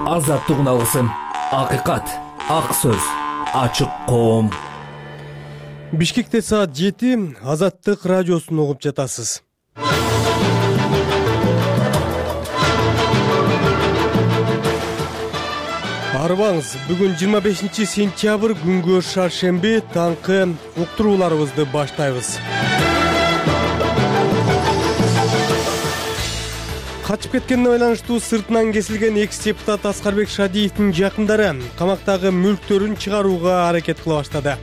Азаттык алгысым, акыйкат, ак сөз, ачык коом. Бишкекте саат 7 Азаттык радиосун угуп жатасыз. Арбаңыз, бүгүн 25 сентябрь күнгө шаршемби, таңкы уктурууларыбызды баштайбыз. Качып кеткенине байланыштуу сыртынан кесилген экс-депутат Аскарбек Шадиевдин жакындары камактагы мүлктөрүн чыгарууга аракет кыла баштады.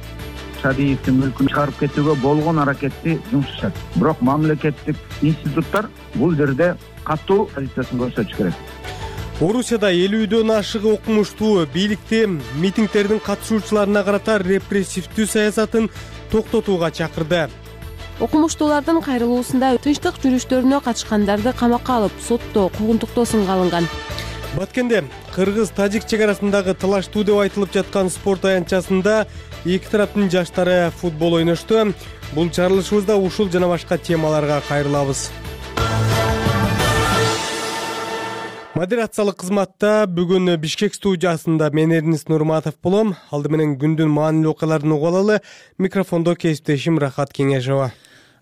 Шадиевдин мүлкүн чыгарып кетүүгө болгон аракетти жумшашат. Бирок мамлекеттик институттар бул жерде катуу позициясын көрсөтүш керек. Орусияда 50дөн ашык окумуштуу бийликти митингдердин катышуучуларына карата репрессивдүү саясатын токтотууга чакырды. Окумуштуулардын кайрылуусунда тынчтык жүрүштөрүнө катышкандарды камакка алып, сотто куугунтуктоо сынга алынган. Баткенде кыргыз-тажик чек арасындагы талаштуу деп айтылып жаткан спорт аянтчасында эки тараптын жаштары футбол ойношту. Бул чыгарылышыбызда ушул жана башка темаларга кайрылабыз. Модерациялык кызматта бүгүн Бишкек студиясында мен Эрнис Нурматов болом. Алды менен күндүн маанилүү окуяларын угуп алалы. Микрофондо кесиптешим Рахат Кеңешова.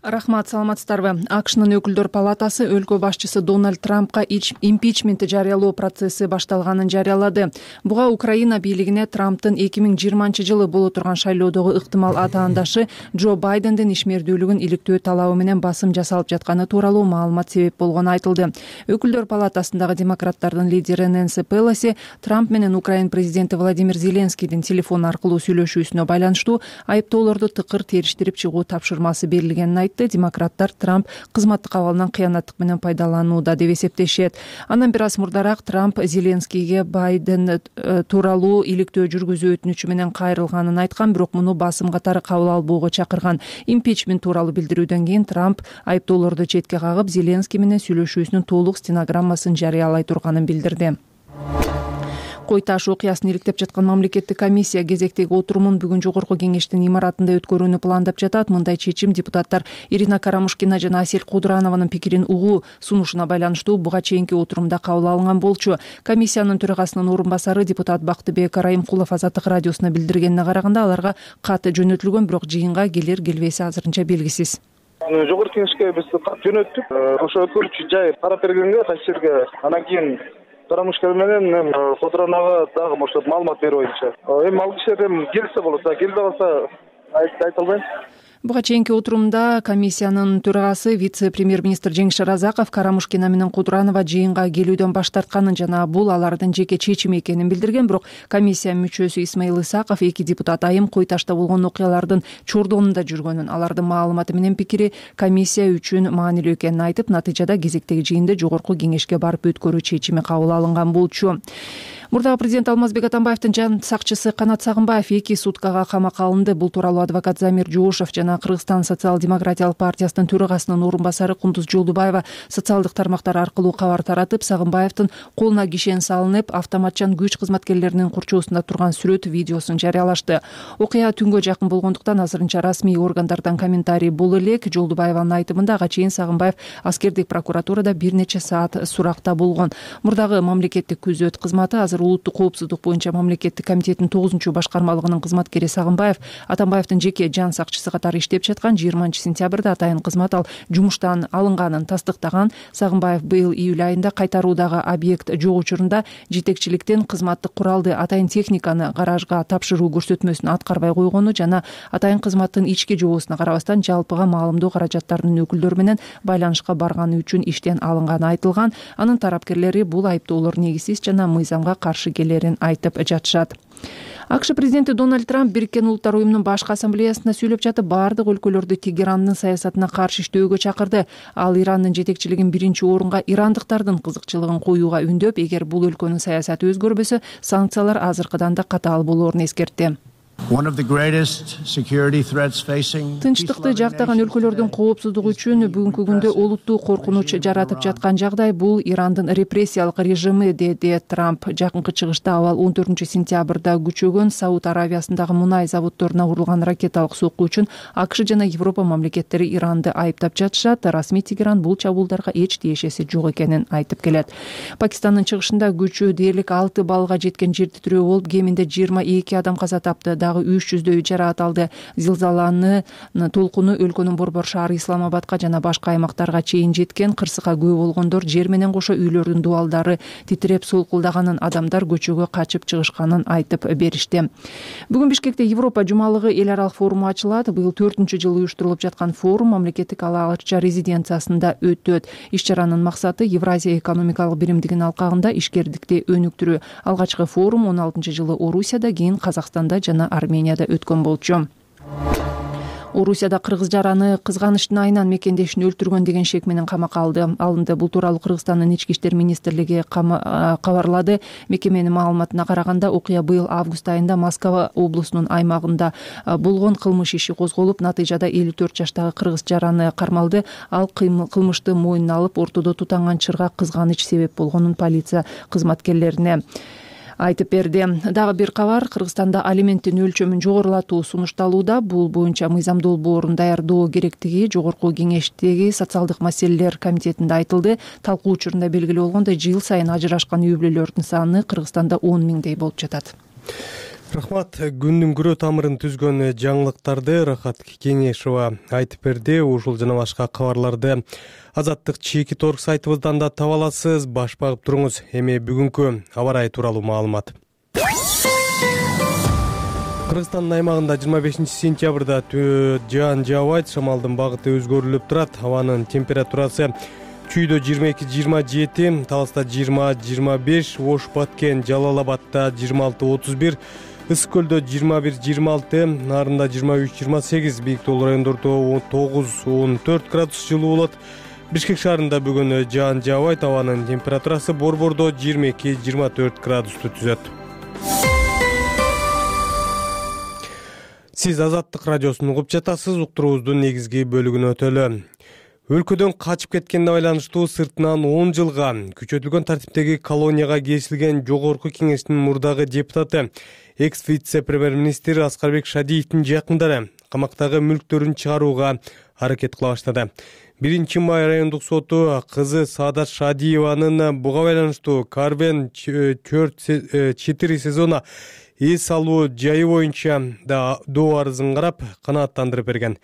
Рахмат, саламатсыздарбы. АКШнын өкүлдөр палатасы өлкө башчысы Дональд Трампка импичмент жарыялоо процесси башталганын жарыялады. Буга Украина бийлигине Трамптын 2020-жылы боло турган шайлоодогу ыктымал атаандашы Джо Байдендин ишмердүүлүгүн иликтөө талабы менен басым жасалып жатканы тууралуу маалымат себеп болгону айтылды. Өкүлдөр палатасындагы демократтардын лидери Нэнси Пелоси Трамп менен Украина президенти Владимир Зеленскийдин телефон аркылуу сүйлөшүүсүнө байланыштуу айыптоолорду тыкыр териштирип чыгуу тапшырмасы берилгенин. Демократтар Трамп кызматтык абалынан кыянаттык менен пайдаланууда деп эсептешет. Андан бир аз мурдараак Трамп Зеленскийге Байден тууралуу иликтөө жүргүзүү өтүнүчү менен кайрылганын айткан, бирок муну басым катары кабыл албоого чакырган. Импичмент тууралуу билдирүүдөн кийин Трамп айыптоолорду четке кагып, Зеленский менен сүйлөшүүсүнүн толук стенограммасын жарыялай турганын билдирди. Кой таш окуясын иликтеп жаткан мамлекеттик комиссия кезектеги отурумун бүгүн жогорку кеңештин имаратында өткөрүүнү пландап жатат. Мындай чечим депутаттар Ирина Карамушкина жана Асель Кудранованын пикирин угуу сунушуна байланыштуу буга чейинки отурумда кабыл алынган болчу. Комиссиянын төрагасынын орун басары депутат Бактыбек Райымкулов Азаттык радиосуна билдиргенине караганда, аларга кат жөнөтүлгөн, бирок жыйынга келер келбеси азырынча белгисиз. Жогорку кеңешке биз кат жөнөттүк. Ошо өткөрүүчү жай карап бергенге кайсы жерге анан кийин Карамушкина менен Кудранова дагы ошо маалымат берүү боюнча. Эми ал кишилер келсе болот, келбей калса айта албайм. Буга чейинки отурумда комиссиянын төрагасы вице-премьер-министр Жеңиш Разаков Карамушкина менен Кудранова жыйынга келүүдөн баш тартканын жана бул алардын жеке чечими экенин билдирген, бирок комиссия мүчөсү Исмаил Исаков эки депутат айым Кой ташта болгон окуялардын чордонунда жүргөнүн, алардын маалыматы менен пикири комиссия үчүн маанилүү экенин айтып, натыйжада кезектеги жыйынды жогорку кеңешке барып өткөрүү чечими кабыл алынган болчу. Мурдагы президент Алмазбек Атамбаевдин жан сакчысы Канат Сагынбаев 2 суткага камакка алынды. Бул тууралуу адвокат Замир Жоошев жана Кыргызстан социал-демократиялык партиясынын төрагасынын орун басары Кундуз Жолдубаева социалдык тармактар аркылуу кабар таратып, Сагынбаевдин колуна кишен салынып, автоматчан күч кызматкерлеринин курчоосунда турган сүрөт видеосун жарыялашты. Окуя түнгө жакын болгондуктан азырынча расмий органдардан комментарий боло элек. Жолдубаеванын айтымында ага чейин Сагынбаев аскердик прокуратурада бир нече саат суракта болгон. Мурдагы мамлекеттик күзөт кызматы азыр улуттук коопсуздук боюнча мамлекеттик комитеттин 9-башкармалыгынын кызматкери Сагынбаев Атамбаевдин жеке жан сакчысы катары иштеп жаткан. 20-сентябрда атайын кызмат ал жумуштан алынганын тастыктаган. Сагынбаев быйыл июль айында кайтаруудагы объект жок учурунда жетекчиликтен кызматтык куралды атайын техниканы гаражга тапшыруу көрсөтмөсүн аткарбай койгону жана атайын кызматтын ички жобосуна карабастан жалпыга маалымдоо каражаттарынын өкүлдөрү менен байланышка барганы үчүн иштен алынганы айтылган. Анын тарапкерлери бул айыптоолор негизсиз жана мыйзамга каршы келерин айтып жатышат. АКШ президенти Дональд Трамп Бириккен Улуттар уюмунун башкы ассамблеясында сүйлөп жатып, баардык өлкөлөрдү Тегерандын саясатына каршы иштөөгө чакырды. Ал Ирандын жетекчилигин биринчи орунга ирандыктардын кызыкчылыгын коюуга үндөп, эгер бул өлкөнүн саясаты өзгөрбөсө, санкциялар азыркыдан да катаал болоорун эскертти. Тынчтыкты жактаган өлкөлөрдүн коопсуздугу үчүн бүгүнкү күндө олуттуу коркунуч жаратып жаткан жагдай бул Ирандын репрессиялык режими, деди Трамп. Жакынкы чыгышта абал 14-сентябрда күчөгөн Сауд Аравиясындагы мунай заводдоруна урулган ракеталык сокку үчүн АКШ жана Европа мамлекеттери Иранды айыптап жатышат. Расмий Тегеран бул чабуулдарга эч тиешеси жок экенин айтып келет. Пакистандын чыгышында күчү дээрлик 6 баллга жеткен жер титирөө болуп, кеминде 22 адам каза тапты, дагы 300дөй жараат алды. Зилзаланын толкуну өлкөнүн борбор шаары Исламабадка жана башка аймактарга чейин жеткен. Кырсыкка күбө болгондор жер менен кошо үйлөрдүн дубалдары титиреп солкулдаганын, адамдар көчөгө качып чыгышканын айтып беришти. Бүгүн Бишкекте Европа жумалыгы эл аралык форуму ачылат. Быйыл 4-жылы уюштурулуп жаткан форум мамлекеттик ала-арча резиденциясында өтөт. Иш-чаранын максаты Евразия экономикалык биримдигинин алкагында ишкердикти өнүктүрүү. Алгачкы форум 16-жылы Орусияда, кийин Казакстанда жана Арменияда өткөн болчу. Орусияда кыргыз жараны кызганычтын айынан мекендешин өлтүргөн деген шек менен камакка алынды. Бул тууралуу Кыргызстандын ички иштер министрлиги кабарлады. Мекеменин маалыматына караганда, окуя быйыл август айында Москва облусунун аймагында болгон кылмыш иши козголуп, натыйжада 54 жаштагы кыргыз жараны кармалды. Ал кылмышты мойнуна алып, ортодо тутанган чырга кызганыч себеп болгонун полиция кызматкерлерине айтып берди. Дагы бир кабар, Кыргызстанда алименттин өлчөмүн жогорулатуу сунушталууда. Бул боюнча мыйзам долбоорун даярдоо керектиги Жогорку Кеңештеги социалдык маселелер комитетинде айтылды. Талкуу учурунда белгилүү болгондой, жыл сайын ажырашкан үй бүлөлөрдүн саны Кыргызстанда 10 миңдей болуп жатат. Рахмат. Күндүн күрөө тамырын түзгөн жаңылыктарды Рахат Кеңешова айтып берди. Ушул жана башка кабарларды Азаттык чеки торг сайтыбыздан да таба аласыз. Баш багып туруңуз. Эми бүгүнкү аба ырайы тууралуу маалымат. Кыргызстандын аймагында 25-сентябрда жаан жаабайт, шамалдын багыты өзгөрүлүп турат. Абанын температурасы Чүйдө 22-27, Таласта 20-25, Ош Баткен, Жалал-Абадта 26-31, Ысык көлдө 21-26, Нарында 23-28, Бийик Тоол райондордо 9-14 градус жылуу болот. Бишкек шаарында бүгүн жаан жаабайт, абанын температурасы борбордо 22-24 градусту түзөт. Сиз Азаттык радиосун угуп жатасыз. Уктуруубуздун негизги бөлүгүнө өтөлү. Өлкөдөн качып кеткенге байланыштуу сыртынан 10 жылга күчөтүлгөн тартиптеги колонияга кесилген Жогорку Кеңештин мурдагы депутаты, экс-вице-премьер-министр Аскарбек Шадиевдин жакындары камактагы мүлктөрүн чыгарууга аракет кыла баштады. 1-май райондук соту кызы Саадат Шадиеванын буга байланыштуу Карвен 4 сезона эс алуу жайы боюнча да доо арызын карап канааттандырып берген.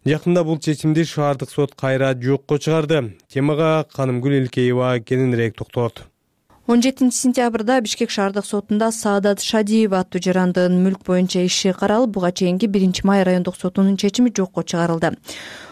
Жакында бул чечимди шаардык сот кайра жокко чыгарды. Темага Канымгүл Элкеева кененирээк токтолот. 17-сентябрда Бишкек шаардык сотунда Саадат Шадиева аттуу жарандын мүлк боюнча иши каралып, буга чейинки 1-май райондук сотунун чечими жокко чыгарылды.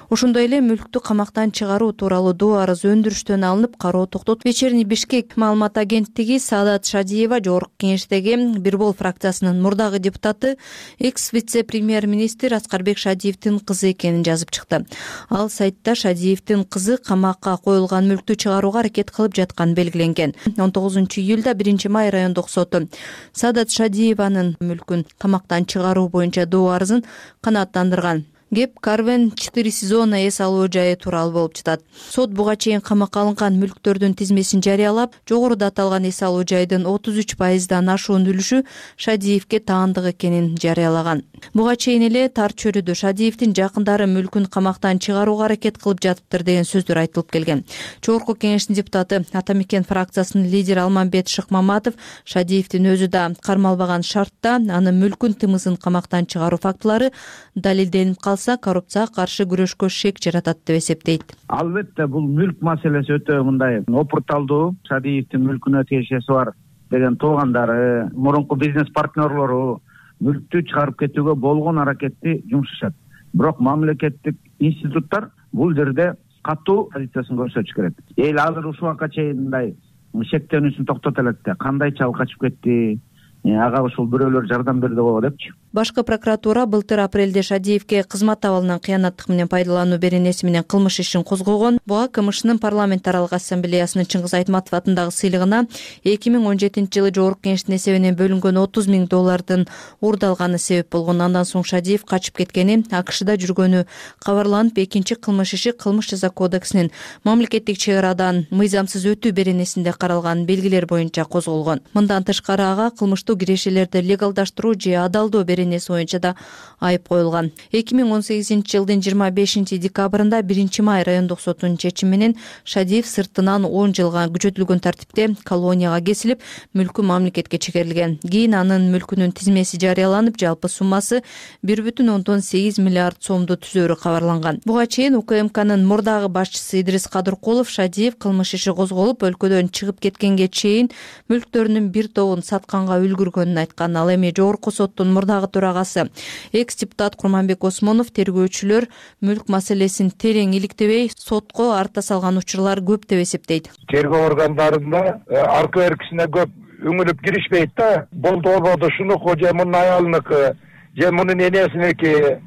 Ошондой эле мүлктү камактан чыгаруу тууралуу доо арыз өндүрүштөн алынып, кароо токтотулду. Вечерний Бишкек маалымат агенттиги Саадат Шадиева Жогорку Кеңештеги Бирбол фракциясынын мурдагы депутаты, экс-вице-премьер-министр Аскарбек Шадиевдин кызы экенин жазып чыкты. Ал сайтта Шадиевдин кызы камакка коюлган мүлктү чыгарууга аракет кылып жатканы белгиленген. 19-июлда 1-май райондук соту Саадат Шадиеванын мүлкүн камактан чыгаруу боюнча доо арызын канааттандырган. Кеп Карвен 4 сезона эс алуу жайы тууралуу болуп жатат. Сот буга чейин камакка алынган мүлктөрдүн тизмесин жарыялап, жогоруда аталган эс алуу жайдын 33%дан ашуун үлүшү Шадиевге таандык экенин жарыялаган. Буга чейин эле тар чөйрөдө Шадиевдин жакындары мүлкүн камактан чыгарууга аракет кылып жатыптыр деген сөздөр айтылып келген. Жогорку Кеңештин депутаты, Ата Мекен фракциясынын лидери Алмамбет Шыкмаматов Шадиевдин өзү да кармалбаган шартта анын мүлкүн тымызын камактан чыгаруу фактылары далилденип калса, коррупцияга каршы күрөшкө шек жаратат деп эсептейт. Албетте бул мүлк маселеси өтө мындай опурталдуу. Шадиевдин мүлкүнө тиешеси бар деген туугандары, мурунку бизнес партнерлору мүлктү чыгарып кетүүгө болгон аракетти жумшашат. Бирок мамлекеттик институттар бул жерде катуу позициясын көрсөтүш керек. Эл азыр ушул убакка чейин мындай шектенүүсүн токтото элек да, кандайча ал качып кетти, ага ушул бирөөлөр жардам берди го депчи. Башкы прокуратура былтыр апрелде Шадиевке кызмат абалынан кыянаттык менен пайдалануу беренеси менен кылмыш ишин козгогон. Буга КМШнын парламентаралык ассамблеясынын Чыңгыз Айтматов атындагы сыйлыгына 2017 жылы Жогорку Кеңештин эсебинен бөлүнгөн $30 000 уурдалганы себеп болгон. Андан соң Шадиев качып кеткени, АКШда жүргөнү кабарланып, экинчи кылмыш иши Кылмыш жаза кодексинин мамлекеттик чек арадан мыйзамсыз өтүү беренесинде каралган белгилер боюнча козголгон. Мындан тышкары ага кылмыштуу кирешелерди легалдаштыруу же адалдоо беренеси боюнча да айып коюлган. 2018 жылдын 25 декабрында 1 май райондук сотунун чечими менен Шадиев сыртынан 10 жылга күчөтүлгөн тартипте колонияга кесилип, мүлкү мамлекетке чегерилген. Кийин анын мүлкүнүн тизмеси жарыяланып, жалпы суммасы 1,8 миллиард сомду түзөөрү кабарланган. Буга чейин УКМКнын мурдагы башчысы Идрис Кадыркулов Шадиев кылмыш иши козголуп, өлкөдөн чыгып кеткенге чейин мүлктөрүнүн бир тобун сатканга үлгүргөнүн айткан. Ал эми Жогорку соттун мурдагы төрагасы экс-депутат Курманбек Осмонов тергөөчүлөр мүлк маселесин терең иликтебей, сотко арта салган учурлар көп деп эсептейт. Тергөө органдарында аркы беркисине көп үңүлүп киришпейт да. Болду болбоду шунуку же мунун аялыныкы, же мунун энесиники,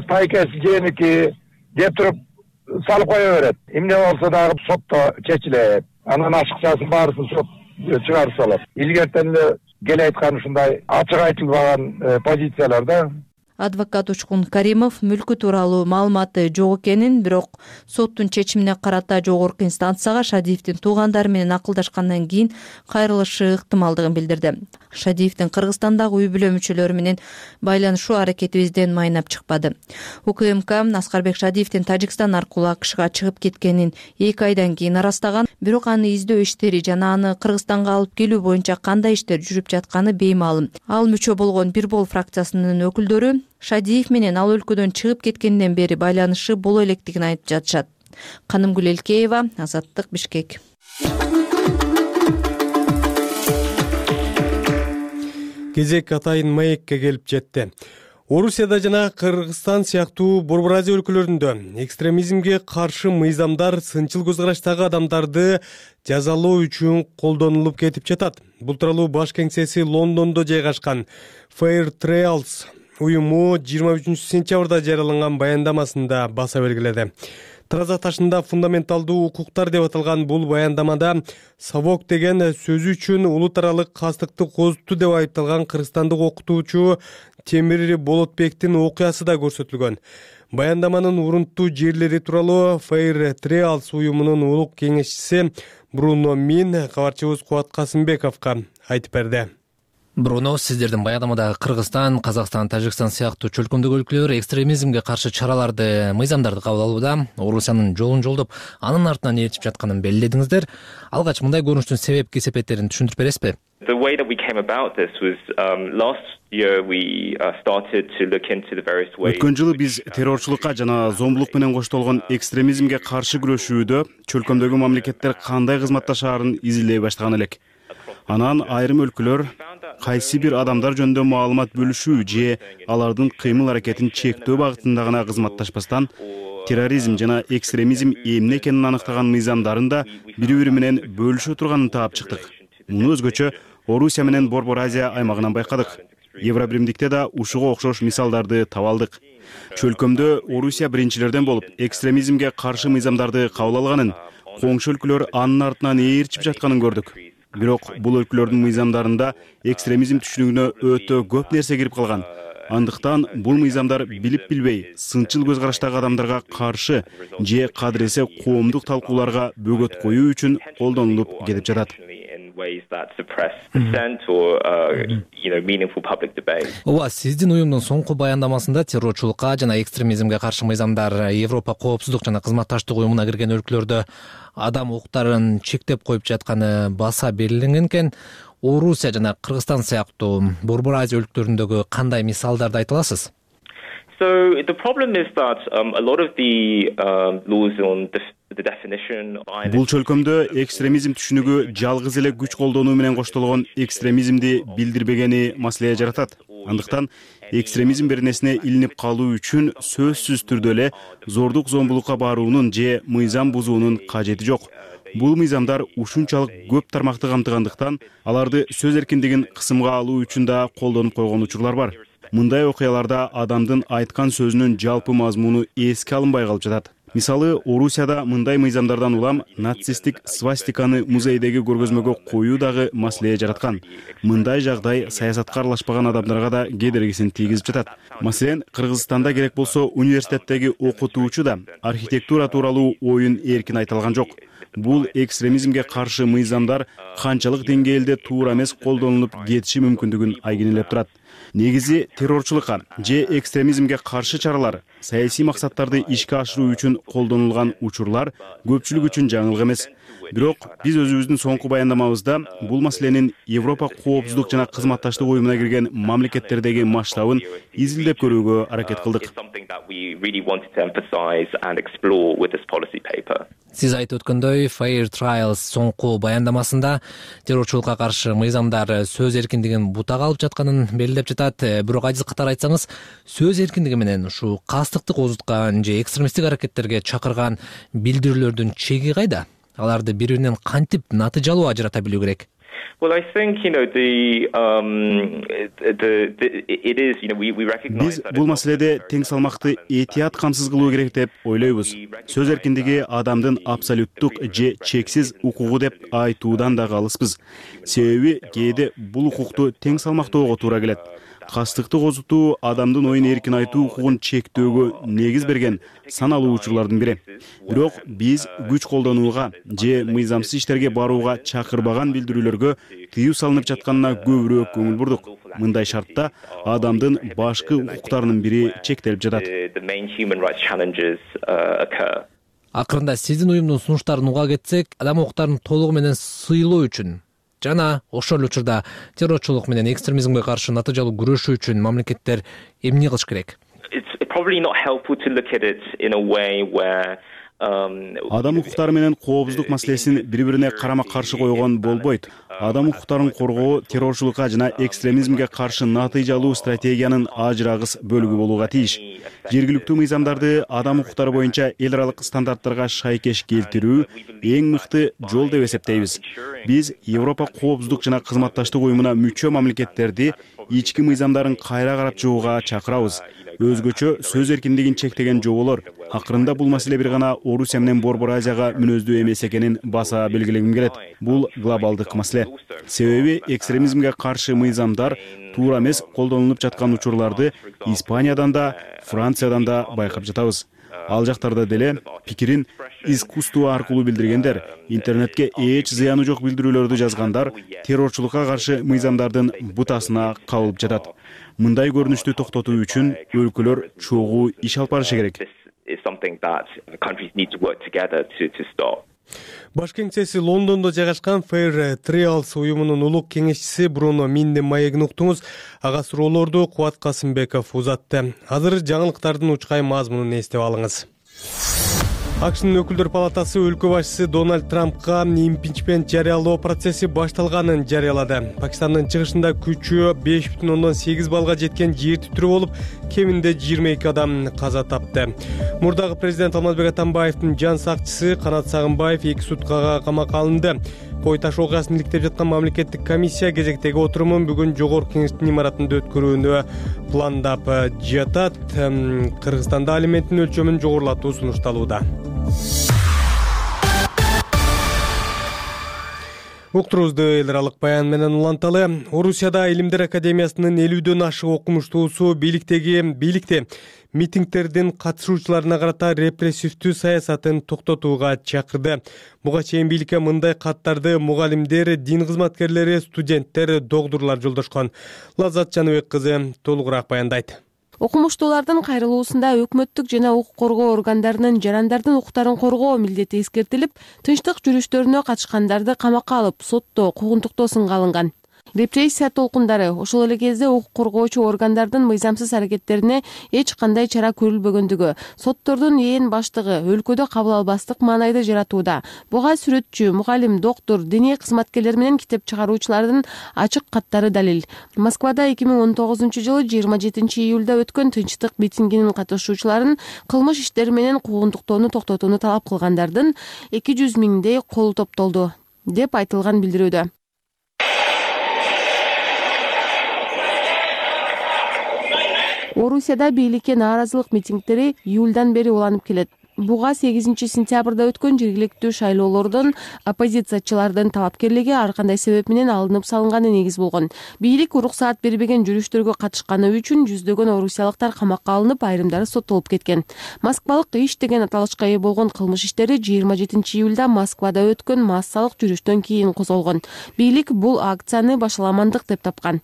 тайкеси женики деп туруп салып кое берет. Эмне болсо дагы сотто чечилет. Анан ашыкчасын баарысын сот чыгарып салат. Илгертен эле кел айткан ушундай ачык айтылбаган позициялар да. Адвокат Учкун Каримов мүлкү тууралуу маалыматы жок экенин, бирок соттун чечимине карата жогорку инстанцияга Шадиевдин туугандары менен акылдашкандан кийин кайрылышы ыктымалдыгын билдирди. Шадиевдин Кыргызстандагы үй бүлө мүчөлөрү менен байланышуу аракетибизден майнап чыкпады. УКМК Аскарбек Шадиевдин Тажикстан аркылуу АКШга чыгып кеткенин 2 айдан кийин арастаган, бирок аны издөө иштери жана аны Кыргызстанга алып келүү боюнча кандай иштер жүрүп жатканы беймаалым. Ал мүчө болгон Бир Бол фракциясынын өкүлдөрү Шадиев менен ал өлкөдөн чыгып кеткенден бери байланышы боло электигин айтып жатышат. Канымгүл Элкеева, Азаттык, Бишкек. Кезек атайын маекке келип жетти. Орусияда жана Кыргызстан сыяктуу Борбор Азия өлкөлөрүндө экстремизмге каршы мыйзамдар сынчыл көз караштагы адамдарды жазалоо үчүн колдонулуп кетип жатат. Бул тууралуу баш кеңсеси Лондондо жайгашкан Fair Trials уюму 23 сентябрда жарыяланган баяндамасында баса белгиледи. Тараза ташында фундаменталдуу укуктар деп аталган бул баяндамада Савок деген сөзү үчүн улут аралык кастыкты козутту деп айыпталган кыргызстандык окутуучу Темир Болотбектин окуясы да көрсөтүлгөн. Баяндаманын урунттуу жерлери тууралуу Fair Trials уюмунун улук кеңешчиси Бруно Мин кабарчыбыз Кубат Касымбековго айтып берди. Бруно, сиздердин баяндамадагы Кыргызстан, Казакстан, Тажикстан сыяктуу чөлкөмдөгү өлкөлөр экстремизмге каршы чараларды, мыйзамдарды кабыл алууда, Орусиянын жолун жолдоп, анын артынан ээрчип жатканын белгиледиңиздер. Алгач мындай көрүнүштүн себеп кесепеттерин түшүндүрүп бересизби? The way that we came about this was last year we started to look into the various ways. Өткөн жылы биз террорчулукка жана зомбулук менен коштолгон экстремизмге каршы күрөшүүдө чөлкөмдөгү мамлекеттер кандай кызматташаарын изилдей баштаган элек. Анан айрым өлкөлөр кайсы бир адамдар жөнүндө маалымат бөлүшүү же алардын кыймыл аракетин чектөө багытында гана кызматташпастан терроризм жана экстремизм эмне экенин аныктаган мыйзамдарын да бири-бири менен бөлүшө турганын таап чыктык. Муну өзгөчө Орусия менен Борбор Азия аймагынан байкадык. Евробиримдикте да ушуга окшош мисалдарды таба алдык. Чөлкөмдө Орусия биринчилерден болуп экстремизмге каршы мыйзамдарды кабыл алганын, коңшу өлкөлөр анын артынан ээрчип жатканын көрдүк. Бирок бул өлкөлөрдүн мыйзамдарында экстремизм түшүнүгүнө өтө көп нерсе кирип калган. Андыктан бул мыйзамдар билип билбей, сынчыл көз караштагы адамдарга каршы же кадыресе коомдук талкууларга бөгөт коюу үчүн колдонулуп кетип жатат. Ооба, сиздин уюмдун соңку баяндамасында террорчулукка жана экстремизмге каршы мыйзамдар Европа коопсуздук жана кызматташтык уюмуна кирген өлкөлөрдө адам укуктарын чектеп коюп жатканы баса белгиленген экен. Орусия жана Кыргызстан сыяктуу Борбор Азия өлкөлөрүндөгү кандай мисалдарды айта аласыз? So the problem is that a lot of the laws on the definition. Бул чөлкөмдө экстремизм түшүнүгү жалгыз эле күч колдонуу менен коштолгон экстремизмди билдирбегени маселе жаратат. Андыктан экстремизм беренесине илинип калуу үчүн сөзсүз түрдө эле зордук зомбулукка баруунун же мыйзам бузуунун кажети жок. Бул мыйзамдар ушунчалык көп тармакты камтыгандыктан аларды сөз эркиндигин кысымга алуу үчүн да колдонуп койгон учурлар бар. Мындай окуяларда адамдын айткан сөзүнүн жалпы мазмуну эске алынбай калып жатат. Мисалы, Орусияда мындай мыйзамдардан улам нацисттик свастиканы музейдеги көргөзмөгө коюу дагы маселе жараткан. Мындай жагдай саясатка аралашпаган адамдарга да кедергисин тийгизип жатат. Маселен, Кыргызстанда керек болсо университеттеги окутуучу да архитектура тууралуу оюн эркин айта алган жок. Бул экстремизмге каршы мыйзамдар канчалык деңгээлде туура эмес колдонулуп кетиши мүмкүндүгүн айгинелеп турат. Негизи террорчулукка же экстремизмге каршы чаралар саясий максаттарды ишке ашыруу үчүн колдонулган учурлар көпчүлүк үчүн жаңылык эмес. Бирок биз өзүбүздүн соңку баяндамабызда бул маселенин Европа коопсуздук жана кызматташтык уюмуна кирген мамлекеттердеги масштабын изилдеп көрүүгө аракет кылдык. Сиз айтып өткөндөй, Fair Trials соңку баяндамасында террорчулукка каршы мыйзамдар сөз эркиндигин бутага алып жатканын белгилеп жатат. Бирок адис катары айтсаңыз, сөз эркиндиги менен ушу кастыкты козуткан же экстремисттик аракеттерге чакырган билдирүүлөрдүн чеги кайда? Аларды бири-биринен кантип натыйжалуу ажырата билүү керек? Well, I think, Биз бул маселеде тең салмакты этият камсыз кылуу керек деп ойлойбуз. Сөз эркиндиги адамдын абсолюттук же чексиз укугу деп айтуудан дагы алыспыз. Себеби кээде бул укукту тең салмактоого туура келет. Кастыкты козутуу адамдын оюн эркин айтуу укугун чектөөгө негиз берген саналуу учурлардын бири. Бирок биз күч колдонууга же мыйзамсыз иштерге барууга чакырбаган билдирүүлөргө тыюу салынып жатканына көбүрөөк көңүл бурдук. Мындай шартта адамдын башкы укуктарынын бири чектелип жатат. Акырында сиздин уюмдун сунуштарын уга кетсек, адам укуктарын толугу менен сыйлоо үчүн жана ошол эле учурда террорчулук менен экстремизмге каршы натыйжалуу күрөшүү үчүн мамлекеттер эмне кылыш керек? Адам укуктары менен коопсуздук маселесин бири-бирине карама-каршы койгон болбойт. Адам укуктарын коргоо террорчулукка жана экстремизмге каршы натыйжалуу стратегиянын ажырагыс бөлүгү болууга тийиш. Жергиликтүү мыйзамдарды адам укуктары боюнча эл аралык стандарттарга шайкеш келтирүү эң мыкты жол деп эсептейбиз. Биз Европа коопсуздук жана кызматташтык уюмуна мүчө мамлекеттерди ички мыйзамдарын кайра карап чыгууга чакырабыз. Өзгөчө сөз эркиндигин чектеген жоболор. Акырында бул маселе бир гана Орусия менен Борбор Азияга мүнөздүү эмес экенин баса белгилегим келет. Бул глобалдык маселе. Себеби экстремизмге каршы мыйзамдар туура эмес колдонулуп жаткан учурларды Испаниядан да, Франциядан да байкап жатабыз. Ал жактарда деле пикирин искусство аркылуу билдиргендер, интернетке эч зыяны жок билдирүүлөрдү жазгандар террорчулукка каршы мыйзамдардын бутасына кабылып жатат. Мындай көрүнүштү токтотуу үчүн өлкөлөр чогуу иш алып барышы керек. Баш кеңсеси Лондондо жайгашкан Fair Trials уюмунун улук кеңешчиси Бруно Миндин маегин уктуңуз. Ага суроолорду Кубат Касымбеков узатты. Азыр жаңылыктардын учкай мазмунун эстеп алыңыз. АКШнын өкүлдөр палатасы өлкө башчысы Дональд Трампка импичмент жарыялоо процесси башталганын жарыялады. Пакистандын чыгышында күчү 5,8 балга жеткен жер титирөө болуп, кеминде 22 адам каза тапты. Мурдагы президент Алмазбек Атамбаевдин жан сакчысы Канат Сагынбаев 2 суткага камакка алынды. Кой таш окуясын иликтеп жаткан мамлекеттик комиссия кезектеги отурумун бүгүн жогорку кеңештин имаратында өткөрүүнү пландап жатат. Кыргызстанда алименттин өлчөмүн жогорулатуу сунушталууда. Уктуруубузду эл аралык баян менен уланталы. Орусияда Илимдер академиясынын 50дөн ашык окумуштуусу бийликте митингдердин катышуучуларына карата репрессивдүү саясатын токтотууга чакырды. Буга чейин бийликке мындай каттарды мугалимдер, дин кызматкерлери, студенттер, докторлор жолдошкон. Лаззат Жаныбек кызы толугураак баяндайт. Окумуштуулардын кайрылуусунда өкмөттүк жана укук коргоо органдарынын жарандардын укуктарын коргоо милдети эскертилип, тынчтык жүрүштөрүнө катышкандарды камакка алып, соттоо, куугунтуктоо сынга алынган. Репрессия толкундары ошол эле кезде укук коргоочу органдардын мыйзамсыз аракеттерине эч кандай чара көрүлбөгөндүгү, соттордун ээн баштыгы өлкөдө кабыл албастык маанайды жаратууда. Буга сүрөтчү, мугалим, доктор, диний кызматкерлер менен китеп чыгаруучулардын ачык каттары далил. Москвада 2019-жылы 27-июлда өткөн тынчтык митингинин катышуучуларын кылмыш иштери менен куугунтуктоону токтотууну талап кылгандардын 200 миңдей колу топтолду деп айтылган билдирүүдө. Орусияда бийликке нааразылык митингдери июлдан бери уланып келет. Буга 8 сентябрда өткөн жергиликтүү шайлоолордон оппозициячылардын талапкерлиги ар кандай себеп менен алынып салынганы негиз болгон. Бийлик уруксаат бербеген жүрүштөргө катышканы үчүн жүздөгөн орусиялыктар камакка алынып, айрымдары соттолуп кеткен. Москвалык иш деген аталышка ээ болгон кылмыш иштери 27 июлда Москвада өткөн массалык жүрүштөн кийин козголгон. Бийлик бул акцияны башаламандык деп тапкан.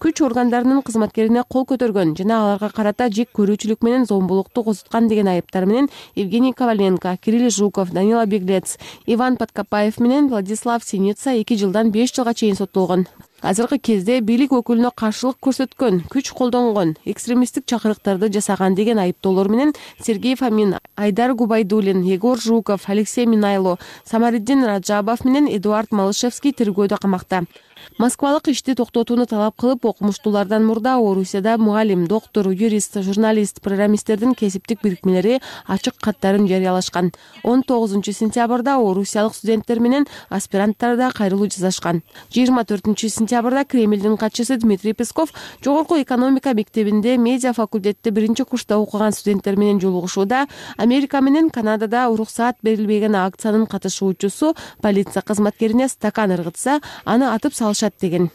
Күч органдарынын кызматкерине кол көтөргөн жана аларга карата жек көрүүчүлүк менен зомбулукту козуткан деген айыптар менен Евгений Коваленко, Кирилл Жуков, Данила Беглец, Иван Подкопаев менен Владислав Синица 2 жылдан 5 жылга чейин соттолгон. Азыркы кезде бийлик өкүлүнө каршылык көрсөткөн, күч колдонгон, экстремисттик чакырыктарды жасаган деген айыптоолор менен Сергей Фомин, Айдар Губайдуллин, Егор Жуков, Алексей Минайло, Самариддин Раджабов менен Эдуард Малышевский тергөөдө камакта. Москвалык ишти токтотууну талап кылып, окумуштуулардан мурда Орусияда мугалим, доктор, юрист, журналист, программисттердин кесиптик бирикмелери ачык каттарын жарыялашкан. 19 сентябрда орусиялык студенттер менен аспиранттар да кайрылуу жасашкан. 24 сентябрда Кремлдин катчысы Дмитрий Песков жогорку экономика мектебинде медиа факультетте 1-курста окуган студенттер менен жолугушууда Америка менен Канадада уруксаат берилбеген акциянын катышуучусу полиция кызматкерине стакан ыргытса, аны атып салышат деген.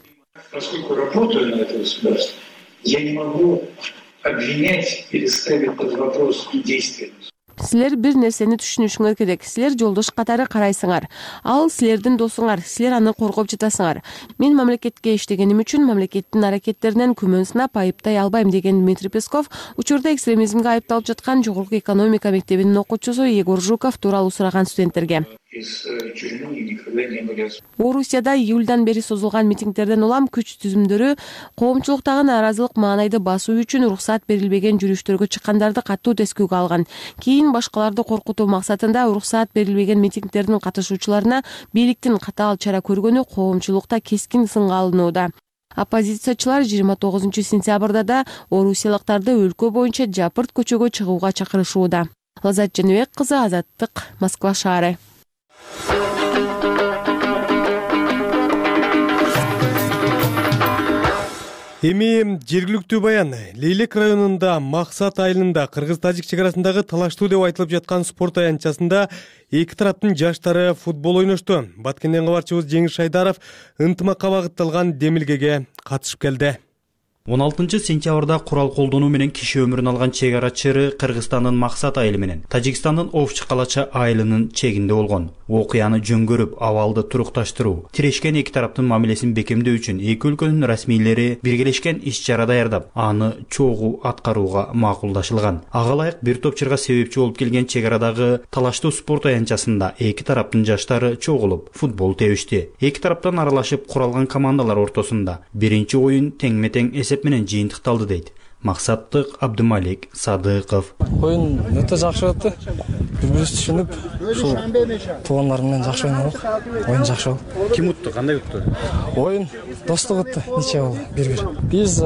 Поскольку работаю на это государство, я не могу обвинять или ставить под вопрос действия. Силер бир нерсени түшүнүшүңөр керек. Силер жолдош катары карайсыңар. Ал силердин досуңар, силер аны коргоп жатасыңар. Мен мамлекетке иштегеним үчүн мамлекеттин аракеттеринен күмөн сынап айыптай албайм деген Дмитрий Песков учурда экстремизмге айыпталып жаткан жогорку экономика мектебинин окуучусу Егор Жуков тууралуу сураган студенттерге. Орусияда июлдан бери созулган митингдерден улам күч түзүмдөрү коомчулуктагы нааразылык маанайды басуу үчүн уруксаат берилбеген жүрүштөргө чыккандарды катуу тескүүгө алган. Кийин башкаларды коркутуу максатында уруксаат берилбеген митингдердин катышуучуларына бийликтин катаал чара көргөнү коомчулукта кескин сынга алынууда. Оппозициячылар 29 сентябрда да орусиялыктарды өлкө боюнча жапырт көчөгө чыгууга чакырышууда. Лазат Женебек кызы, Азаттык, Москва шаары. Эми жергиликтүү баян. Лейлек районунда Максат айылында кыргыз-тажик чек арасындагы талаштуу деп айтылып жаткан спорт аянтчасында эки тараптын жаштары футбол ойношту. Баткенден кабарчыбыз Жеңиш Шайдаров ынтымакка багытталган демилгеге катышып келди. 16 сентябрда курал колдонуу менен киши өмүрүн алган чек ара чыры Кыргызстандын Максат айылы менен Тажикстандын Овчу Калача айылынын чегинде болгон. Окуяны жөн көрүп, абалды турукташтыруу, тирешкен эки тараптын мамилесин бекемдөө үчүн эки өлкөнүн расмийлери биргелешкен иш-чара даярдап, аны чогуу аткарууга макулдашылган. Ага ылайык бир топ чырга себепчи болуп келген чек арадагы талаштуу спорт аянтчасында эки тараптын жаштары чогулуп футбол тебишти. Эки тараптан аралашып куралган командалар ортосунда биринчи оюн тең-метең эсеп менен жыйынтыкталды дейт Максаттык Абдымалик Садыков. Оюн өтө жакшы өттү. Биз түшүнүп, ушул туугандар менен жакшы ойнодук. Оюн жакшы болду. Ким утту? Кандай утту? Оюн достук өттү. Нече болду? 1-1. Биз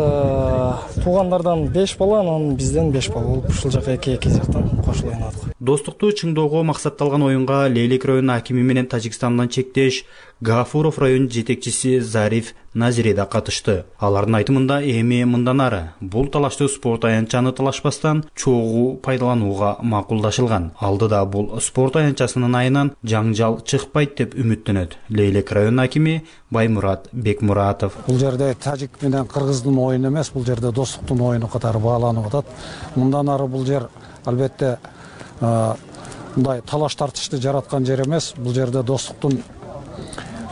туугандардан 5 бала, анан бизден 5 бала болуп, ушул жака эки жактан кошулуп ойнодук. Достукту чыңдоого максатталган оюнга Лейлек районунун акими менен Тажикстандан чектеш Гафуров район жетекчиси Зариф Назире да катышты. Алардын айтымында эми мындан ары бул талаштуу спорт аянтчаны талашпастан чогуу пайдаланууга макулдашылган. Алдыда бул спорт аянтчасынын айынан жаңжал чыкпайт деп үмүттөнөт Лейлек районунун акими Баймурат Бекмуратов. Бул жерде тажик менен кыргыздын оюну эмес, бул жерде достуктун оюну катары бааланып атат. Мындан ары бул жер албетте мындай талаш тартышты жараткан жер эмес. Бул жерде достуктун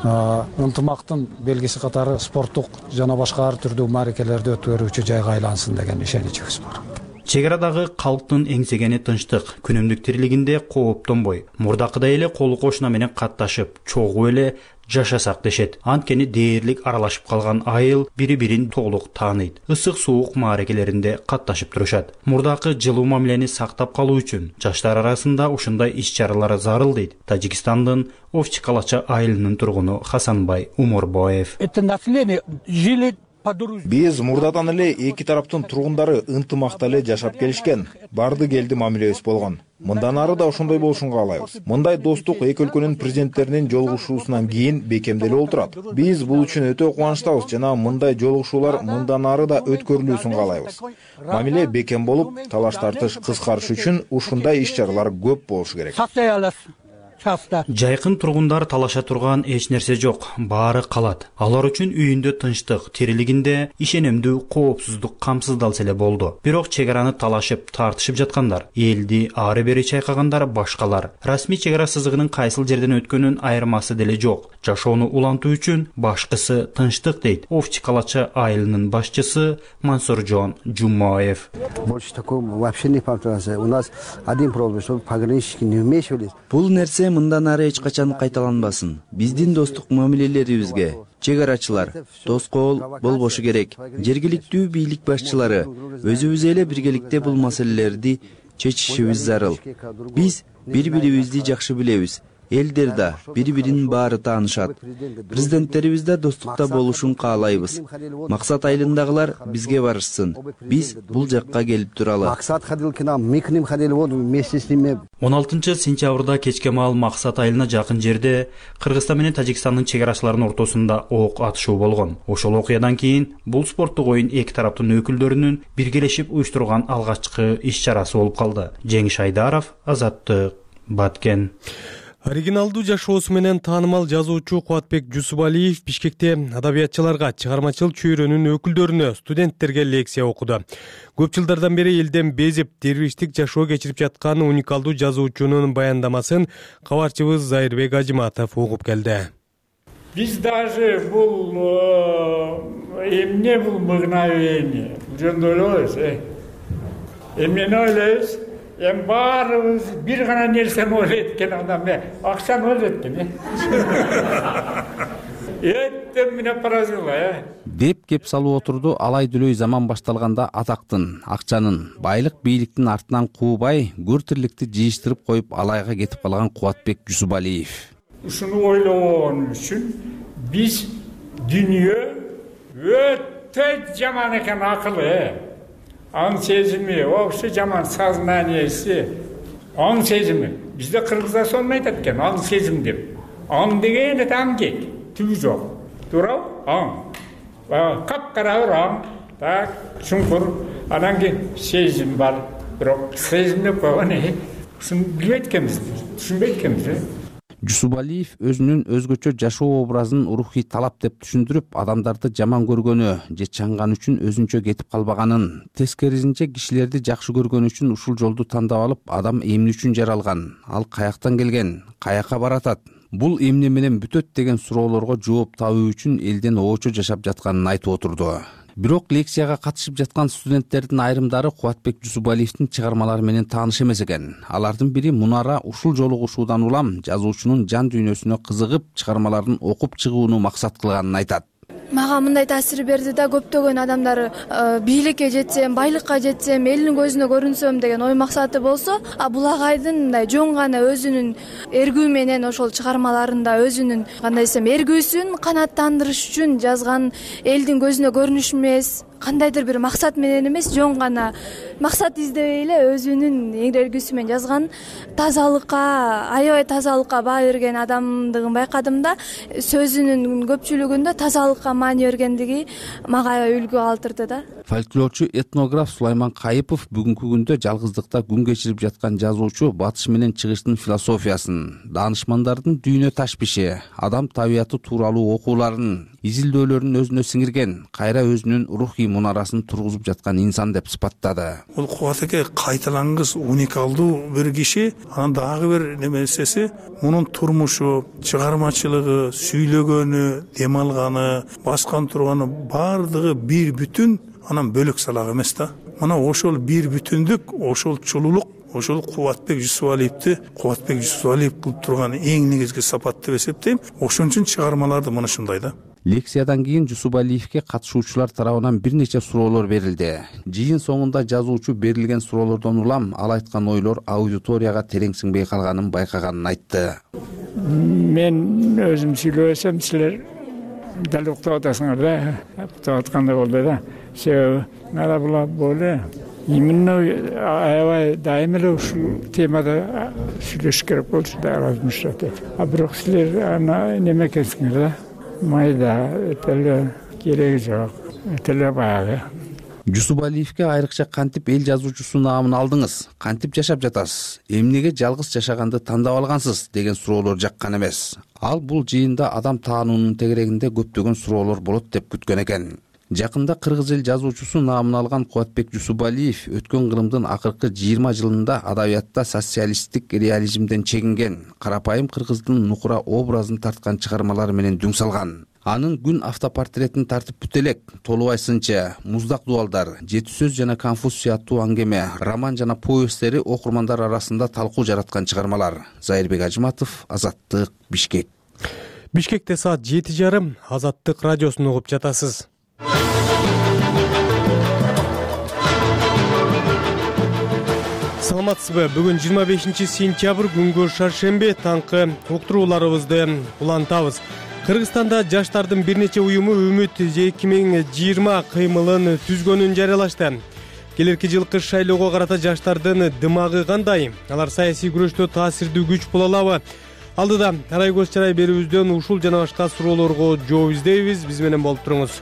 ынтымактын белгиси катары спорттук жана башка ар түрдүү мааракелерди өткөрүүчү жайга айлансын деген ишеничибиз бар. Чек арадагы калктын эңсегени тынчтык, күнүмдүк тирилигинде кооптонбой, мурдакыдай эле колу кошуна менен катташып, чогуу эле жашасак дешет. Анткени дээрлик аралашып калган айыл бири-бирин толук тааныйт. Ысык суук мааракелеринде катташып турушат. Мурдакы жылуу мамилени сактап калуу үчүн жаштар арасында ушундай иш-чаралар зарыл дейт Тажикстандын Овчу Калача айылынын тургуну Хасанбай Умурбоев. Это население жили. Биз мурдадан эле эки тараптын тургундары ынтымакта эле жашап келишкен. Барды келди мамилебиз болгон. Мындан ары да ошондой болушун каалайбыз. Мындай достук эки өлкөнүн президенттеринин жолугушуусунан кийин бекемделип отурат. Биз бул үчүн өтө кубанычтабыз жана мындай жолугушуулар мындан ары да өткөрүлүүсүн каалайбыз. Мамиле бекем болуп, талаш тартыш кыскарыш үчүн ушундай иш-чаралар көп болушу керек. Жайкын тургундар талаша турган эч нерсе жок, баары калат. Алар үчүн үйүндө тынчтык, тирилигинде ишенимдүү коопсуздук камсыздалса эле болду. Бирок чек араны талашып, тартышып жаткандар, элди ары бери чайкагандар башкалар. Расмий чек ара сызыгынын кайсыл жерден өткөнүн айырмасы деле жок. Жашоону улантуу үчүн башкысы тынчтык дейт Овчи Калача айылынын башчысы Мансуржон Жумаев. Больше такого вообще не повторяется. У нас один проблем, что пограничники не вмешивались. Бул нерсе мындан ары эч качан кайталанбасын. Биздин достук мамилелерибизге чек арачылар тоскоол болбошу керек. Жергиликтүү бийлик башчылары өзүбүз эле биргеликте бул маселелерди чечишибиз зарыл. Биз бири-бирибизди жакшы билебиз. Элдер да бири-биринин баары таанышат. Президенттерибиз да достукта болушун каалайбыз. Максат айылындагылар бизге барышсын. Биз бул жакка келип туралы. 16-сентябрда кечке маал Максат айылына жакын жерде Кыргызстан менен Тажикстандын чек арачыларынын ортосунда ок атышуу болгон. Ошол окуядан кийин бул спорттук оюн эки тараптын өкүлдөрүнүн биргелешип уюштурган алгачкы иш-чарасы болуп калды. Жеңиш Айдаров, Азаттык, Баткен. Оригиналдуу жашоосу менен таанымал жазуучу Кубатбек Жусупалиев Бишкекте адабиятчыларга, чыгармачыл чөйрөнүн өкүлдөрүнө, студенттерге лекция окуду. Көп жылдардан бери элден безип, дервиштик жашоо кечирип жаткан уникалдуу жазуучунун баяндамасын кабарчыбыз Зайырбек Ажиматов угуп келди. Биз даже бул эмне бул мыгнавение жөнүндө ойлойбуз. Эмнени ойлойбуз? Баарыбыз бир гана нерсени ойлойт экен адам, акчаны ойлойт экен. Эттем менен поразила, деп кеп салып отурду алай дүлөй заман башталганда атактын, акчанын, байлык бийликтин артынан куубай, көр тирликти жыйыштырып коюп алайга кетип калган Кубатбек Жусупалиев. Ушуну ойлогон үчүн биз дүйнө өтө жаман экен акылы. Аң сезими, вообще жаман сознаниеси, аң сезими. Бизде кыргыздар сону айтат экен, аң сезим деп. Аң деген аңгек, түбү жок. Туурабы? Аң. Капкара бир аң, так, чуңкур, анан кийин сезим бар. Бирок сезим деп койгон, ушуну билбейт экенбиз, түшүнбөйт экенбиз. Жусупалиев өзүнүн өзгөчө жашоо образын рухий талап деп түшүндүрүп, адамдарды жаман көргөнү же чаңган үчүн өзүнчө кетип калбаганын, тескерисинче кишилерди жакшы көргөн үчүн ушул жолду тандап алып, адам эмне үчүн жаралган, ал каяктан келген, каяка баратат, бул эмне менен бүтөт деген суроолорго жооп табуу үчүн элден оочо жашап жатканын айтып отурду. Бирок лекцияга катышып жаткан студенттердин айрымдары Кубатбек Жусупалиевдин чыгармалары менен тааныш эмес экен. Алардын бири Мунара ушул жолугушуудан улам жазуучунун жан дүйнөсүнө кызыгып, чыгармаларын окуп чыгууну максат кылганын айтат. Мага мындай таасир берди да, көптөгөн адамдар бийликке жетсем, байлыкка жетсем, элдин көзүнө көрүнсөм деген ой максаты болсо, бул агайдын мындай жөн гана өзүнүн эргүү менен ошол чыгармаларында өзүнүн кандай десем эргүүсүн канааттандырыш үчүн жазган, элдин көзүнө көрүнүш эмес, кандайдыр бир максат менен эмес, жөн гана максат издебей эле өзүнүн эргүүсү менен жазган, тазалыкка, аябай тазалыкка баа берген адамдыгын байкадым да, сөзүнүн көпчүлүгүндө тазалыкка маани бергендиги мага аябай үлгү калтырды да. Фольклорчу этнограф Сулайман Кайыпов бүгүнкү күндө жалгыздыкта күн кечирип жаткан жазуучу батыш менен чыгыштын философиясын, даанышмандардын дүйнө ташбиши, адам табияты тууралуу окууларын, изилдөөлөрүн өзүнө сиңирген, кайра өзүнүн рухий мунарасын тургузуп жаткан инсан деп сыпаттады. Бул Кубатбек кайталангыс, уникалдуу бир киши. Анан дагы бир немесеси, мунун турмушу, чыгармачылыгы, сүйлөгөнү, дем алганы, баскан турганы баардыгы бир бүтүн, анан бөлөк салак эмес да. Мына ошол бир бүтүндүк, ошол чулуулук, ошол Кубатбек Жусупалиевди Кубатбек Жусупалиев кылып турган эң негизги сапат деп эсептейм. Ошон үчүн чыгармаларды мына ушундай да. Лекциядан кийин Жусупалиевге катышуучулар тарабынан бир нече суроолор берилди. Жыйын соңунда жазуучу берилген суроолордон улам ал айткан ойлор аудиторияга терең сиңбей калганын байкаганын айтты. Мен өзүм сүйлөсөм, силер дал уктап атасыңар да, уктап аткандай болду да. Себеби ала була боле именно аябай дайым эле ушул темада сүйлөшүш керек болчу да размышлять этип. А бирок силер аны неме экенсиңер да, майда этеле кереги жок, этеле баягы. Жусупалиевке айрыкча кантип эл жазуучусу наамын алдыңыз, кантип жашап жатасыз, эмнеге жалгыз жашаганды тандап алгансыз деген суроолор жаккан эмес. Ал бул жыйында адам таануунун тегерегинде көптөгөн суроолор болот деп күткөн экен. Жакында кыргыз эл жазуучусу наамын алган Кубатбек Жусупалиев өткөн кылымдын акыркы 20 жылында адабиятта социалисттик реализмден чегинген, карапайым кыргыздын нукура образын тарткан чыгармалары менен дүң салган. Анын күн автопортретин тартып бүт элек, Толубай сынчы, Муздак дубалдар, Жети сөз жана Конфуз сыяттуу аңгеме, роман жана повесттери окурмандар арасында талкуу жараткан чыгармалар. Зайырбек Ажыматов, Азаттык, Бишкек. Бишкекте саат 7:30, Азаттык радиосун угуп жатасыз. Саламатсызбы? Бүгүн 25 сентябрь күнгө шаршемби, таңкы уктурууларыбызды улантабыз. Кыргызстанда жаштардын бир нече уюму Үмүт 2020 кыймылын түзгөнүн жарыялашты. Келерки жылкы шайлоого карата жаштардын дымагы кандай? Алар саясий күрөштө таасирдүү күч боло алабы? Алдыда арай көз чарай берүүбүздөн ушул жана башка суроолорго жооп издейбиз. Биз менен болуп туруңуз.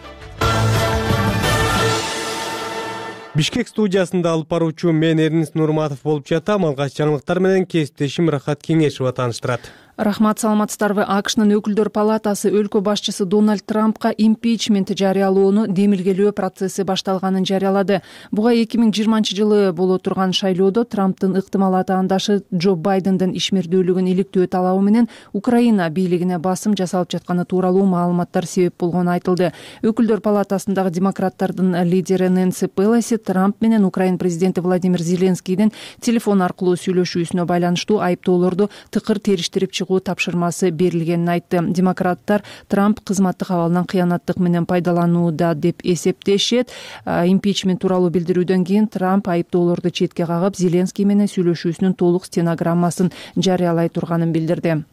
Бишкек студиясында алып баруучу мен Эрнис Нурматов болуп жатам. Алгач жаңылыктар менен кесиптешим Рахат Кеңешова тааныштырат. Рахмат, саламатсыздарбы? АКШнын өкүлдөр палатасы өлкө башчысы Дональд Трампка импичмент жарыялоону демилгелөө процесси башталганын жарыялады. Буга 2020 жылы боло турган шайлоодо Трамптын ыктымал атаандашы Джо Байдендин ишмердүүлүгүн иликтөө талабы менен Украина бийлигине басым жасалып жатканы тууралуу маалыматтар себеп болгону айтылды. Өкүлдөр палатасындагы демократтардын лидери Нэнси Пелоси Трамп менен Украина президенти Владимир Зеленскийдин телефон аркылуу сүйлөшүүсүнө байланыштуу айыптоолорду тыкыр териштирип тапшырмасы берилгенин айтты. Демократтар Трамп кызматтык абалынан кыянаттык менен пайдаланууда деп эсептешет. Импичмент тууралуу билдирүүдөн кийин Трамп айыптоолорду четке кагып, Зеленский менен сүйлөшүүсүнүн толук стенограммасын жарыялай турганын билдирди.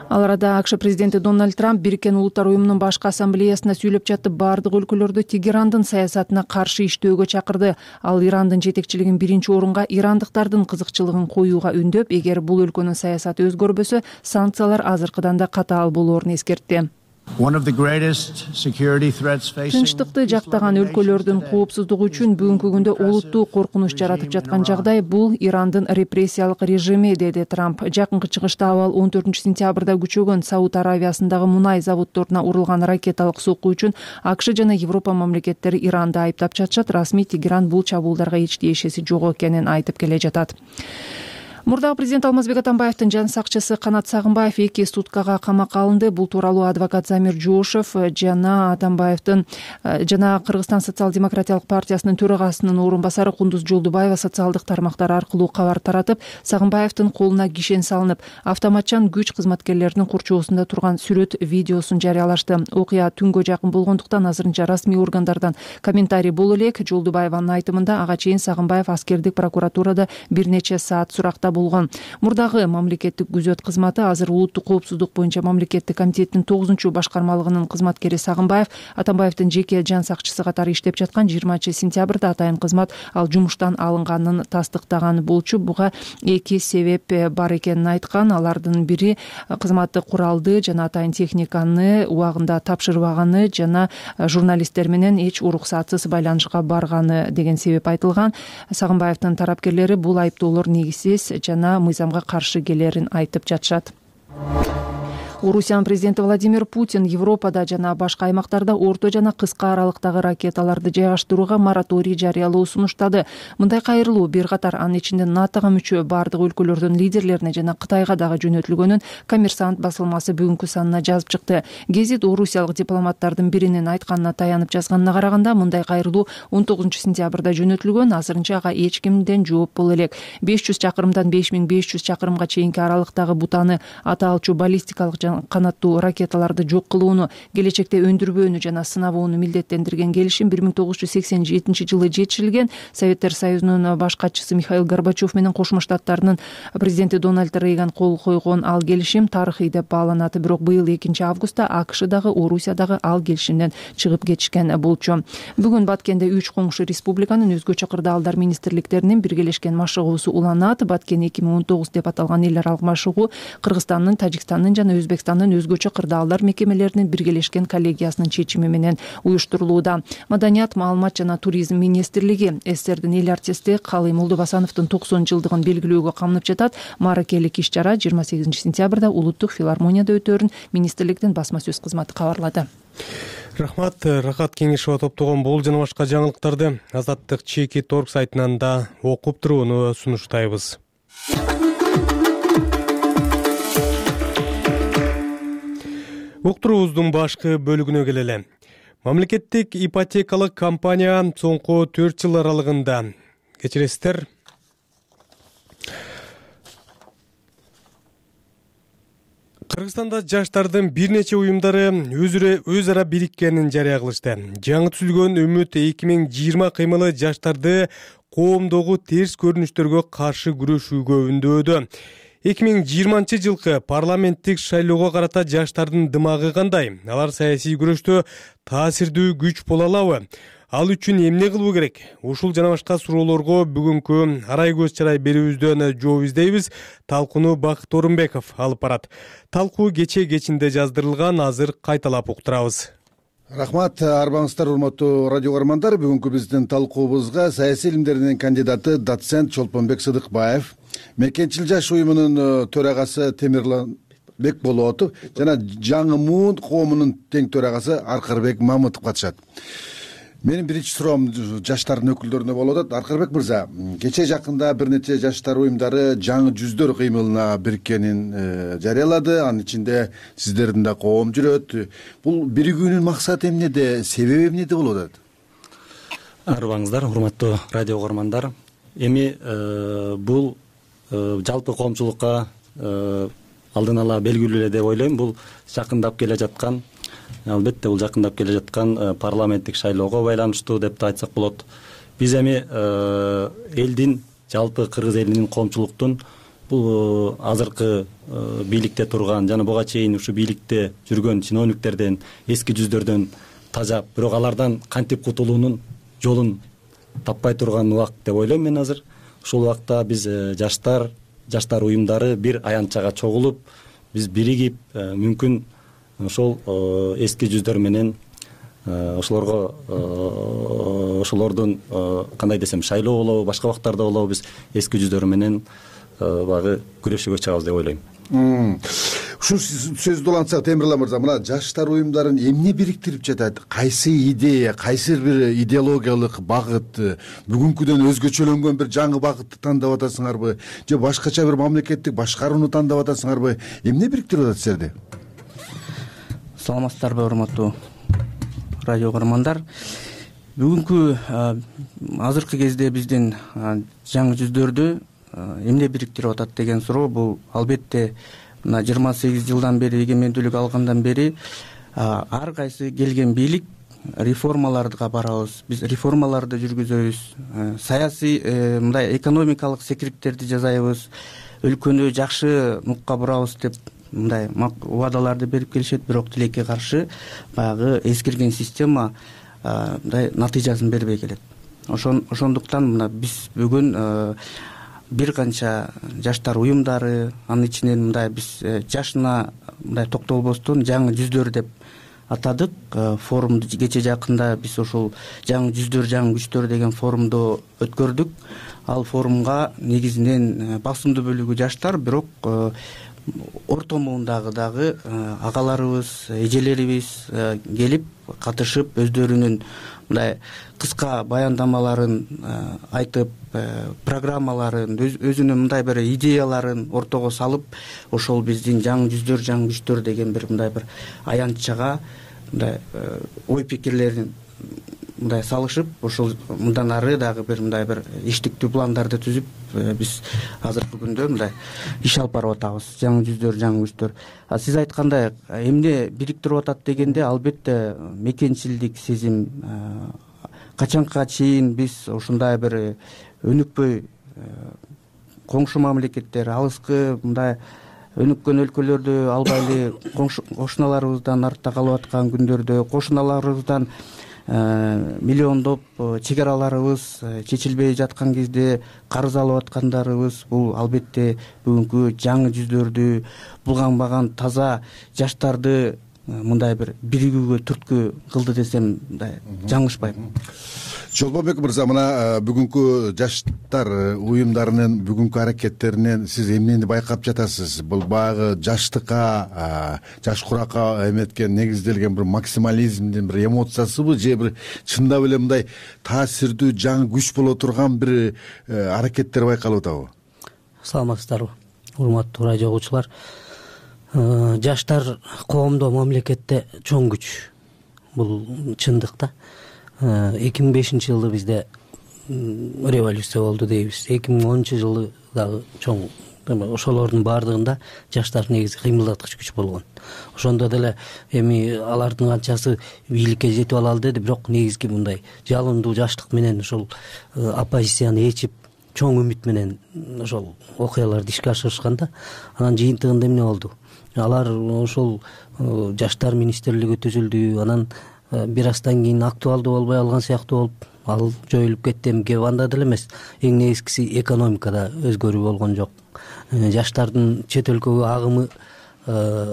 Ал арада АКШ президенти Дональд Трамп Бириккен Улуттар уюмунун башкы ассамблеясында сүйлөп жатып, бардык өлкөлөрдү Тегерандын саясатына каршы иштөөгө чакырды. Ал Ирандын жетекчилигин биринчи орунга ирандыктардын кызыкчылыгын коюуга үндөп, эгер бул өлкөнүн саясаты өзгөрбөсө, санкциялар азыркыдан да катаал болоорун эскертти. Тынчтыкты жактаган өлкөлөрдүн коопсуздугу үчүн бүгүнкү күндө олуттуу коркунуч жаратып жаткан жагдай бул Ирандын репрессиялык режими, деди Трамп. Жакынкы чыгышта абал 14 сентябрда күчөгөн Сауд Аравиясындагы мунай заводдоруна урулган ракеталык сокку үчүн АКШ жана Европа мамлекеттери Иранды айыптап жатышат. Расмий Тегеран бул чабуулдарга эч тиешеси жок экенин айтып келе жатат. Мурдагы президент Алмазбек Атамбаевдин жан сакчысы Канат Сагынбаев 2 суткага камакка алынды. Бул тууралуу адвокат Замир Жошев жана Атамбаевдин жана Кыргызстан социал-демократиялык партиясынын төрагасынын орун басары Кундуз Жолдубаева социалдык тармактар аркылуу кабар таратып, Сагынбаевдин колуна кишен салынып, автоматчан күч кызматкерлеринин курчоосунда турган сүрөт видеосун жарыялашты. Окуя түнгө жакын болгондуктан азырынча расмий органдардан комментарий боло элек. Жолдубаеванын айтымында ага чейин Сагынбаев аскердик прокуратурада бир нече саат суракта болгон. Мурдагы мамлекеттик күзөт кызматы азыр улуттук коопсуздук боюнча мамлекеттик комитеттин 9 башкармалыгынын кызматкери Сагынбаев Атамбаевдин жеке жан сакчысы катары иштеп жаткан 20 сентябрда атайын кызмат ал жумуштан алынганын тастыктаган болчу. Буга 2 себеп бар экенин айткан. Алардын бири кызматты куралды жана атайын техниканы убагында тапшырбаганы жана журналисттер менен эч уруксатсыз байланышка барганы деген себеп айтылган. Сагынбаевдин тарапкерлери бул айыптоолор негизсиз жана мыйзамга каршы келерин айтып жатышат. Орусиянын президенти Владимир Путин Европада жана башка аймактарда орто жана кыска аралыктагы ракеталарды жайгаштырууга мораторий жарыялоо сунуштады. Мындай кайрылуу бир катар, анын ичинде НАТОга мүчө бардык өлкөлөрдүн лидерлерине жана Кытайга дагы жөнөтүлгөнүн Коммерсант басылмасы бүгүнкү санына жазып чыкты. Гезит орусиялык дипломаттардын биринин айтканына таянып жазганына караганда, мындай кайрылуу 19 сентябрда жөнөтүлгөн. Азырынча ага эч кимден жооп боло элек. 500 чакырымдан 5500 чакырымга чейинки аралыктагы бутаны аталчу баллистикалык канаттуу ракеталарды жок кылууну, келечекте өндүрбөөнү жана сынабоону милдеттендирген келишим 1987 жетишилген. Советтер Союзунун баш катчысы Михаил Горбачев менен Кошмо Штаттарынын президенти Дональд Рейган кол койгон ал келишим тарыхый деп бааланат. Бирок быйыл 2-августта АКШ дагы, Орусия дагы ал келишимден чыгып кетишкен болчу. Бүгүн Баткенде 3 коңшу республиканын өзгөчө кырдаалдар министрликтеринин биргелешкен машыгуусу уланат. Баткен 2019 деп аталган эл аралык машыгуу Кыргызстандын, Тажикстандын жана Өзбекстандын өзгөчө кырдаалдар мекемелеринин биргелешкен коллегиясынын чечими менен уюштурулууда. Маданият, маалымат жана туризм министрлиги СССРдин эл артисти Калый Молдобасановдун 90 жылдыгын белгилөөгө камынып жатат. Мааракелик иш-чара 28 сентябрда Улуттук филармонияда өтөөрүн министрликтин басма сөз кызматы кабарлады. Рахмат. Рахат Кеңешова топтогон бул жана башка жаңылыктарды Азаттык Чеки.org сайтынан да окуп турууну сунуштайбыз. Уктуруубуздун башкы бөлүгүнө келели. Мамлекеттик ипотекалык компания соңку 4 жыл аралыгында, кечиресиздер, Кыргызстанда жаштардын бир нече уюмдары өз ара бириккенин жарыя кылышты. Жаңы түзүлгөн Үмүт 2020 кыймылы жаштарды коомдогу терс көрүнүштөргө каршы күрөшүүгө үндөөдү. 2020 жылкы парламенттик шайлоого карата жаштардын дымагы кандай? Алар саясий күрөштө таасирдүү күч боло алабы? Ал үчүн эмне кылуу керек? Ушул жана башка суроолорго бүгүнкү арай көз чарай берүүбүздөн жооп издейбиз. Талкууну Бакыт Орунбеков алып барат. Талкуу кечинде жаздырылган, азыр кайталап уктурабыз. Рахмат, арбаңыздар, урматтуу радио көрөрмандар. Бүгүнкү биздин талкуубузга саясий илимдеринин кандидаты доцент Чолпонбек Сыдыкбаев, Мекенчил жаш уюмунун төрагасы Темирлан Бекболотов жана Жаңы Муун коомунун тең төрагасы Аркырбек Мамытов катышат. Менин биринчи суроом жаштардын өкүлдөрүнө болуп атат. Аркырбек мырза, кечээ жакында бир нече жаштар уюмдары жаңы жүздөр кыймылына бириккенин жарыялады. Анын ичинде сиздердин да коом жүрөт. Бул биригүүнүн максаты эмнеде, себеби эмнеде болуп атат? Арбаңыздар, урматтуу радио көрөрмандар. Эми бул жалпы коомчулукка алдын ала белгилүү эле деп ойлойм. Бул жакындап келе жаткан, албетте бул жакындап келе жаткан парламенттик шайлоого байланыштуу деп да айтсак болот. Биз эми элдин, жалпы кыргыз элинин, коомчулуктун бул азыркы бийликте турган жана буга чейин ушу бийликте жүргөн чиновниктерден, эски жүздөрдөн тажап, бирок алардан кантип кутулуунун жолун таппай турган убакыт деп ойлойм мен азыр. Ушул убакта биз жаштар уюмдары бир аянтчага чогулуп, биз биригип, мүмкүн ошол эски жүздөр менен ошолордун кандай десем, шайлоо болобу, башка убактарда болобу, биз эски жүздөр менен багы күрөшүүгө чыгабыз деп ойлойм. Ушул сөздү улантсак, Темирлан мырза, мына жаштар уюмдарын эмне бириктирип жатат? Кайсы идея, кайсы бир идеологиялык багыт, бүгүнкүдөн өзгөчөлөнгөн бир жаңы багытты тандап атасыңарбы, же башкача бир мамлекеттик башкарууну тандап атасыңарбы? Эмне бириктирип атат силерди? Саламатсыздарбы, урматтуу радио көрөрмандар. Бүгүнкү азыркы кезде биздин жаңы жүздөрдү эмне бириктирип атат деген суроо, бул албетте мына 28 жылдан бери, эгемендүүлүк алгандан бери ар кайсы келген бийлик реформаларга барабыз, биз реформаларды жүргүзөбүз, саясий мындай экономикалык секириктерди жасайбыз, өлкөнү жакшы нукка бурабыз деп мындай убадаларды берип келишет. Бирок тилекке каршы баягы эскирген система мындай натыйжасын бербей келет. Ошондуктан мына биз бүгүн бир канча жаштар уюмдары, анын ичинен мындай биз жашына мындай токтолбостон жаңы жүздөр деп атадык. Форумду кечээ жакында биз ушул жаңы жүздөр, жаңы күчтөр деген форумду өткөрдүк. Ал форумга негизинен басымдуу бөлүгү жаштар, бирок орто муундагы дагы агаларыбыз, эжелерибиз келип катышып, өздөрүнүн мындай кыска баяндамаларын айтып, программаларын, өзүнүн мындай бир идеяларын ортого салып, ошол биздин жаңы жүздөр, жаңы күчтөр деген бир мындай бир аянтчага мындай ой пикирлерин мындай салышып ушул мындан ары дагы мындай бир иштиктүү пландарды түзүп биз азыркы күндө мындай иш алып барып атабыз. Жаңы жүздөр, жаңы күчтөр. Сиз айткандай эмне бириктирип атат дегенде, албетте мекенчилдик сезим. Качанга чейин биз ушундай бир өнүкпөй коңшу мамлекеттер, алыскы мындай өнүккөн өлкөлөрдү албайлы кошуналарыбыздан артта калып аткан күндөрдө, кошуналарыбыздан миллиондоп чекараларыбыз чечилбей жаткан кезде карыз алып аткандарыбыз, бул албетте бүгүнкү жаңы жүздөрдү, булганбаган таза жаштарды мындай бир биригүүгө түрткү кылды десем мындай жаңылышпайм. Чолпонбек мырза, мына бүгүнкү жаштар уюмдарынын бүгүнкү аракеттеринен сиз эмнени байкап жатасыз? Бул баягы жаштыкка, жаш куракка эметкен, негизделген бир максимализмдин бир эмоциясыбы, же бир чындап эле мындай таасирдүү жаңы күч боло турган бир аракеттер байкалып атабы? Саламатсыздарбы, урматтуу радио угуучулар. Жаштар коомдо, мамлекетте чоң күч. Бул чындык да. 2005-жылы бизде революция болду дейбиз. 2010-жылы дагы чоң. Ошолордун баардыгында жаштар негизи кыймылдаткыч күч болгон. Ошондо деле эми алардын канчасы бийликке жетип алалы деди, бирок негизги мындай жалындуу жаштык менен ошол оппозицияны ээчип, чоң үмүт менен ошол окуяларды ишке ашырышкан да. Анан жыйынтыгында эмне болду? Алар ошол жаштар министрлиги түзүлдү. Анан бир аздан кийин актуалдуу болбой алган сыяктуу болуп, ал жоюлуп кетти. Эмгеби анда деле эмес. Эң негизгиси экономикада өзгөрүү болгон жок. Жаштардын чет өлкөгө агымы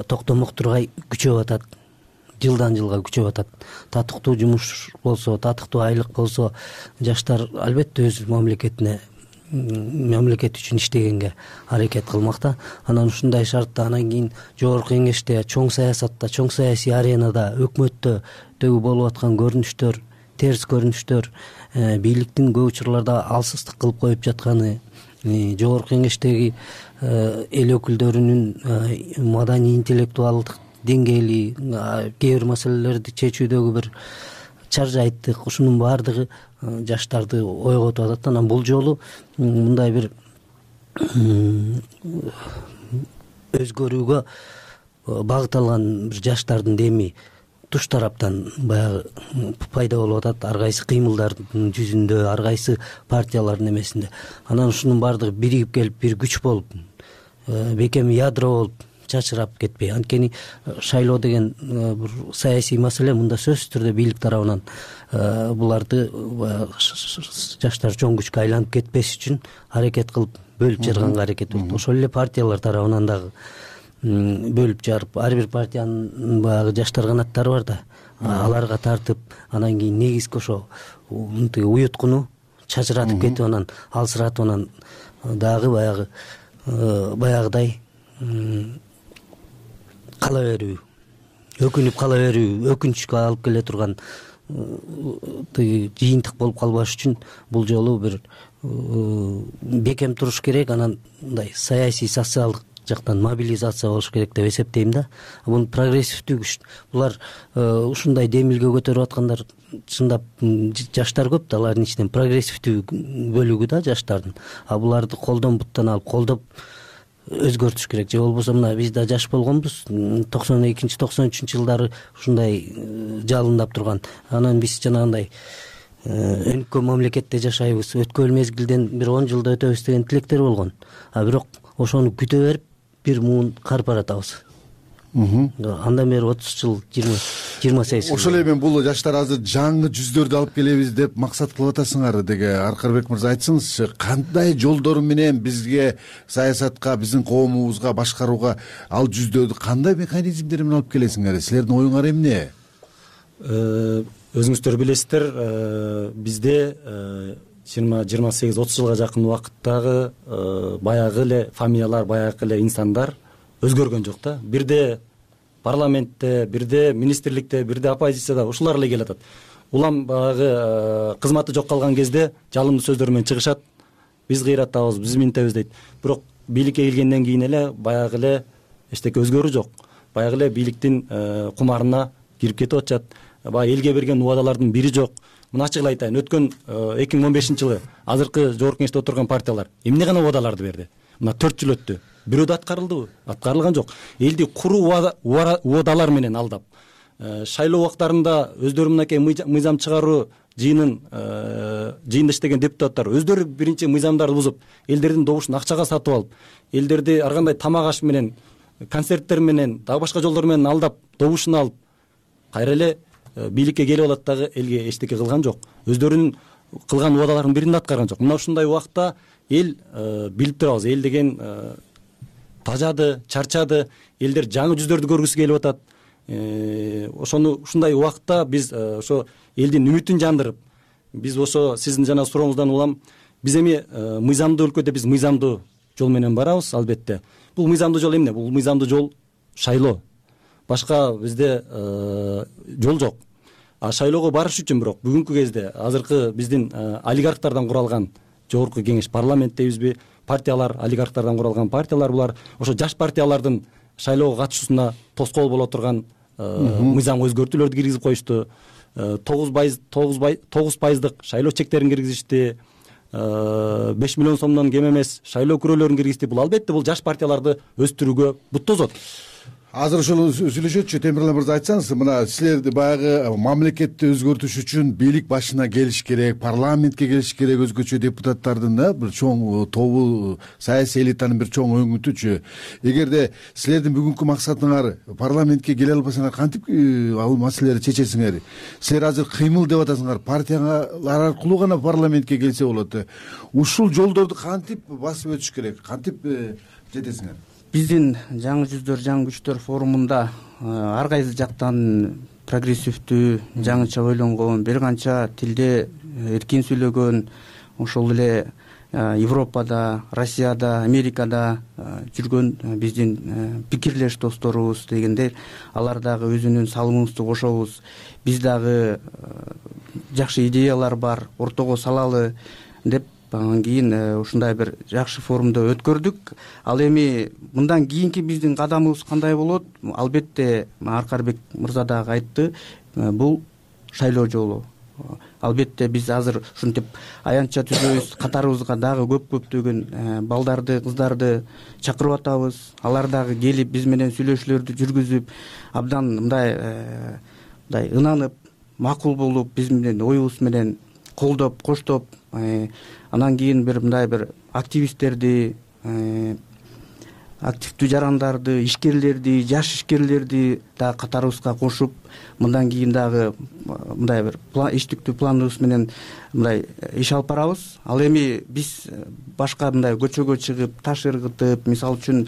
токтомок тургай күчөп атат. Жылдан жылга күчөп атат. Татыктуу жумуш болсо, татыктуу айлык болсо, жаштар албетте өз мамлекет үчүн иштегенге аракет кылмакта. Анан ушундай шартта анан кийин жогорку кеңеште, чоң саясатта, чоң саясий аренада, өкмөттөгү болуп аткан көрүнүштөр, терс көрүнүштөр, бийликтин көп учурларда алсыздык кылып коюп жатканы, жогорку кеңештеги эл өкүлдөрүнүн маданий интеллектуалдык деңгээли, кээ бир маселелерди чечүүдөгү бир чаржайттык, ушунун баардыгы жаштарды ойготуп атат. Анан бул жолу мындай бир өзгөрүүгө багыт алган бир жаштардын деми туш тараптан баягы пайда болуп атат. Ар кайсы кыймылдардын жүзүндө, ар кайсы партиялардын эмесинде. Анан ушунун баардыгы биригип келип бир күч болуп, бекем ядро болуп чачырап кетпей. Анткени шайлоо деген бир саясий маселе, мында сөзсүз түрдө бийлик тарабынан буларды жаштар чоң күчкө айланып кетпеш үчүн аракет кылып, бөлүп жарганга аракет кылып, ошол эле партиялар тарабынан дагы бөлүп жарып, ар бир партиянын баягы жаштар канаттары бар да, аларга тартып, анан кийин негизги ошо уюткуну чачыратып кетип, анан алсыратып, анан дагы баягыдай кала берүү, өкүнүп кала берүү, өкүнүчкө алып келе турган жыйынтык болуп калбаш үчүн бул жолу бир бекем туруш керек. Анан мындай саясий, социалдык жактан мобилизация болуш керек деп эсептейм да. Бул прогрессивдүү күч. Булар ушундай демилге көтөрүп аткандар чындап жаштар көп да, алардын ичинен прогрессивдүү бөлүгү да жаштардын. Буларды колдон буттан алып колдоп өзгөртүш керек. Же болбосо мына биз да жаш болгонбуз, 92-93 жылдары ушундай жалындап турган. Анан биз жанагындай өнүккөн мамлекетте жашайбыз, өткөн мезгилден бир 10 жылда өтөбүз деген тилектер болгон. Бирок ошону күтө берип бир муун карп баратабыз. Андан бери 30 жыл, 28 жыл. Ошол эле мен бул жаштар азыр жаңы жүздөрдү алып келебиз деп максат кылып атасыңар деге Аркарбек мырза, айтсыңызчы, кандай жолдор менен бизге саясатка, биздин коомубузга башкарууга ал жүздөрдү кандай механизмдер менен алып келесиңер? Силердин оюңар эмне? Өзүңүздөр билесиздер, бизде 20-28-30 жылга жакын убакыттагы баягы эле фамилиялар, баягы эле инсандар өзгөргөн жок да. Бирде парламентте, бирде министрликте, бирде оппозицияда ушулар эле келатат. Улам баягы кызматы жок калган кезде жалындуу сөздөр менен чыгышат. Биз кыйратабыз, биз минтебиз дейт. Бирок бийликке келгенден кийин эле баягы эле эчтеке өзгөрүү жок. Баягы эле бийликтин кумарына кирип кетип атышат. Баягы элге берген убадалардын бири жок. мына ачык эле айтайын, өткөн 2015-жылы азыркы жогорку кеңеште отурган партиялар эмне гана убадаларды берди? Мына 4 жыл өттү. Бирөө да аткарылдыбы? Аткарылган жок. Элди куруу убадалар менен алдап, шайлоо убактарында өздөрү мынакей мыйзам чыгаруу жыйында иштеген депутаттар өздөрү биринчи мыйзамдарды бузуп, элдердин добушун акчага сатып алып, элдерди ар кандай тамак аш менен, концерттер менен, дагы башка жолдор менен алдап, добушун алып, кайра эле бийликке келип алат дагы элге эчтеке кылган жок. Өздөрүнүн кылган убадаларынын бирин да аткарган жок. Мына ушундай убакта эл билип турабыз, эл деген тажады, чарчады, элдер жаңы жүздөрдү көргүсү келип атат. Ошону ушундай убакта биз ошо элдин үмүтүн жандырып, биз ошо сиздин жана сурооңуздан улам, биз эми мыйзамдуу өлкөдө биз мыйзамдуу жол менен барабыз, албетте. Бул мыйзамдуу жол эмне? Бул мыйзамдуу жол шайлоо. Башка бизде жол жок. А шайлоого барыш үчүн бирок бүгүнкү кезде азыркы биздин олигархтардан куралган жогорку кеңеш, парламент дейбизби, партиялар, олигархтардан куралган партиялар, булар ошо жаш партиялардын шайлоого катышуусуна тоскоол боло турган мыйзам өзгөртүүлөрдү киргизип коюшту. 9% шайлоо чектерин киргизишти. 5 миллион сомдон кем эмес шайлоо күрөөлөрүн киргизди. Бул албетте бул жаш партияларды өстүрүүгө бут тозот. Азыр ошол сүйлөшөтчү, Темирлан мырза, айтсаңыз, мына силерди баягы мамлекетти өзгөртүш үчүн бийлик башына келиш керек, парламентке келиш керек, өзгөчө депутаттардын бир чоң тобу, саясий элитанын бир чоң өңүтүчү. Эгерде силердин бүгүнкү максатыңар парламентке келе албасаңар, кантип ал маселелерди чечесиңер? Силер азыр кыймыл деп атасыңар, партиялар аркылуу гана парламентке келсе болот. Ушул жолдорду кантип басып өтүш керек? Кантип жетесиңер? Биздин жаңы жүздөр, жаңы күчтөр форумунда ар кайсы жактан прогрессивдүү, жаңыча ойлонгон, бир канча тилде эркин сүйлөгөн, ошол эле Европада, Россияда, Америкада жүргөн биздин пикирлеш досторубуз дегенде, алар дагы өзүнүн салымыбызды кошобуз. Биз дагы жакшы идеялар бар, ортого салалы деп анан кийин ушундай бир жакшы форумду өткөрдүк. Ал эми мындан кийинки биздин кадамыбыз кандай болот? Албетте Аркарбек мырза дагы айтты, бул шайлоо жолу. Албетте биз азыр ушинтип аянтча түзөбүз, катарыбызга дагы көптөгөн балдарды, кыздарды чакырып атабыз. Алар дагы келип биз менен сүйлөшүүлөрдү жүргүзүп, абдан мындай ынанып, макул болуп, биз менен оюбуз менен колдоп, коштоп, анан кийин мындай бир активисттерди, активдүү жарандарды, ишкерлерди, жаш ишкерлерди дагы катарыбызга кошуп, мындан кийин дагы мындай бир иштиктүү планыбыз менен мындай иш алып барабыз. Ал эми биз башка мындай көчөгө чыгып, таш ыргытып, мисалы үчүн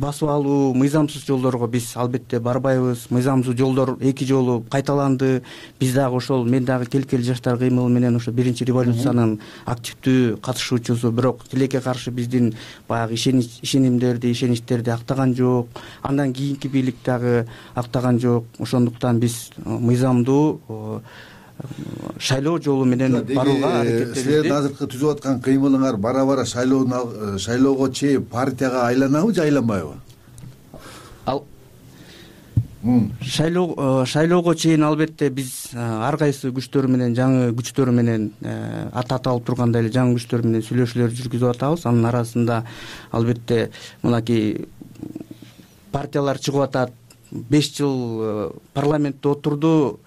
басып алуу, мыйзамсыз жолдорго биз албетте барбайбыз. Мыйзамсыз жолдор 2 жолу кайталанды. Биз дагы ошол, мен дагы Келкел жаштар кыймылы менен ошо биринчи революциянын активдүү катышуучусу, бирок тилекке каршы биздин баягы ишеничтерди актаган жок. Андан кийинки бийлик дагы актаган жок. Ошондуктан биз мыйзамдуу шайлоо жолу менен барууга аракеттенебиз. Силердин азыркы түзүп аткан кыймылыңар бара-бара шайлоого чейин партияга айланабы же айланбайбы? Ал шайлоого чейин албетте биз ар кайсы күчтөр менен, жаңы күчтөр менен, аты аталып тургандай эле жаңы күчтөр менен сүйлөшүүлөр жүргүзүп атабыз. Анын арасында албетте мынакей партиялар чыгып атат. 5 жыл парламентте отурду,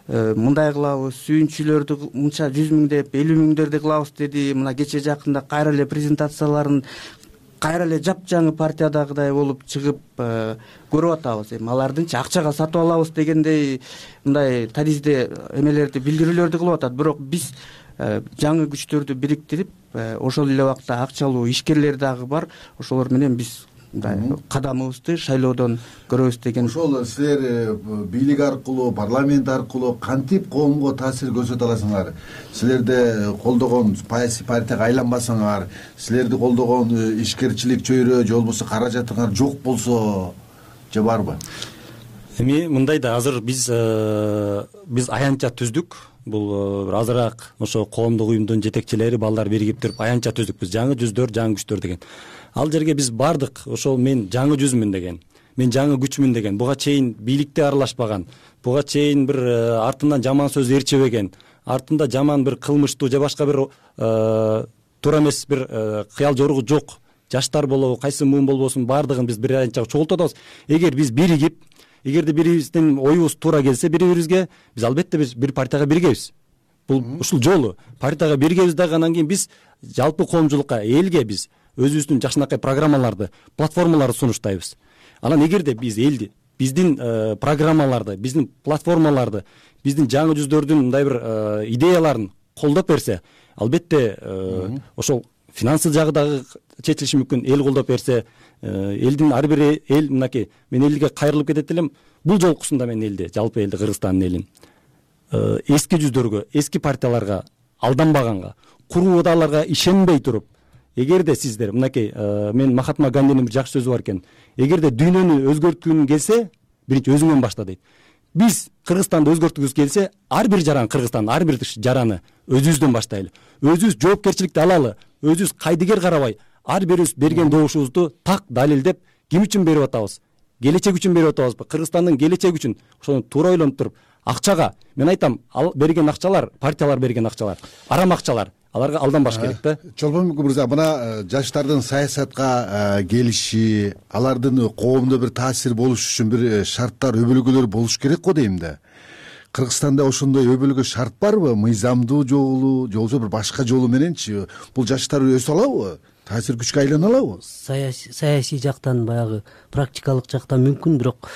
мындай кылабыз, сүйүнчүлөрдү мынча 100 миң деп, 50 миңдерди кылабыз деди. Мына кече жакында кайра эле презентацияларын кайра эле жапжаңы партиядагыдай болуп чыгып көрүп атабыз. Эми алардынчы акчага сатып алабыз дегендей мындай таризде эмелерди, билдирүүлөрдү кылып атат. Бирок биз жаңы күчтөрдү бириктирип, ошол эле убакта акчалуу ишкерлер дагы бар. Ошолор менен биз кадамыбызды шайлоодон көрөбүз деген. Ошол силер бийлик аркылуу, парламент аркылуу кантип коомго таасир көрсөтө аласыңар? Силерди колдогон саясий партияга айланбасаңар, силерди колдогон ишкерчилик чөйрө же болбосо каражатыңар жок болсо же барбы? Эми мындай да, азыр биз аянтча түздүк. Бул азыраак ошо коомдук уюмдун жетекчилери, балдар биригип туруп аянтча түздүк. Биз жаңы жүздөр, жаңы күчтөр деген. Ал жерге биз бардык. Ошол мен жаңы жүзмүн деген. мен жаңы күчмүн деген, буга чейин бийликте аралашпаган, буга чейин бир артынан жаман сөз ээрчебеген, артында жаман бир кылмыштуу же башка бир туура эмес бир кыял жоругу жок жаштар болобу, кайсы муун болбосун, баардыгын биз бир анча чогултуп атабыз. Эгер биз биригип, эгерде бирибиздин оюбуз туура келсе бири-бирибизге, биз албетте биз бир партияга биригебиз. Бул ушул жолу партияга биригебиз дагы, анан кийин биз жалпы коомчулукка, элге биз өзүбүздүн жакшынакай программаларды, платформаларды сунуштайбыз. Анан эгерде биз элди, биздин программаларды, биздин платформаларды, биздин жаңы жүздөрдүн мындай бир идеяларын колдоп берсе, албетте ошол финансы жагы дагы чечилиши мүмкүн. Эл колдоп берсе, элдин ар бир эл мынакей, мен элге кайрылып кетет элем. Бул жолкусунда мен элди, жалпы элди, Кыргызстандын элин эски жүздөргө, эски партияларга алданбаганга, куруу ыдааларга ишенбей туруп, эгерде сиздер мынакей, мен Махатма Гандинин бир жакшы сөзү бар экен. Эгерде дүйнөнү өзгөрткүң келсе, биринчи өзүңөн башта дейт. Биз Кыргызстанды өзгөрткүбүз келсе, ар бир жаран Кыргызстандын ар бир жараны өзүбүздөн баштайлы. Өзүбүз жоопкерчиликти алалы, өзүбүз кайдыгер карабай, ар бирибиз берген добушубузду так далилдеп, ким үчүн берип атабыз? Келечек үчүн берип атабызбы? Кыргызстандын келечеги үчүн, ошону туура ойлонуп туруп, акчага, мен айтам, ал берген акчалар, партиялар берген акчалар, арам акчалар, аларга алданбаш керек да. Чолпонбек мырза, мына жаштардын саясатка келиши, алардын коомдо бир таасир болуш үчүн бир шарттар, өбөлгөлөр болуш керек го дейм да. Кыргызстанда ошондой өбөлгө шарт барбы? Мыйзамдуу жолу, же болбосо бир башка жолу мененчи бул жаштар өсө алабы? Таасир күчкө айлана алабы? Саясий жактан, баягы практикалык жактан мүмкүн, бирок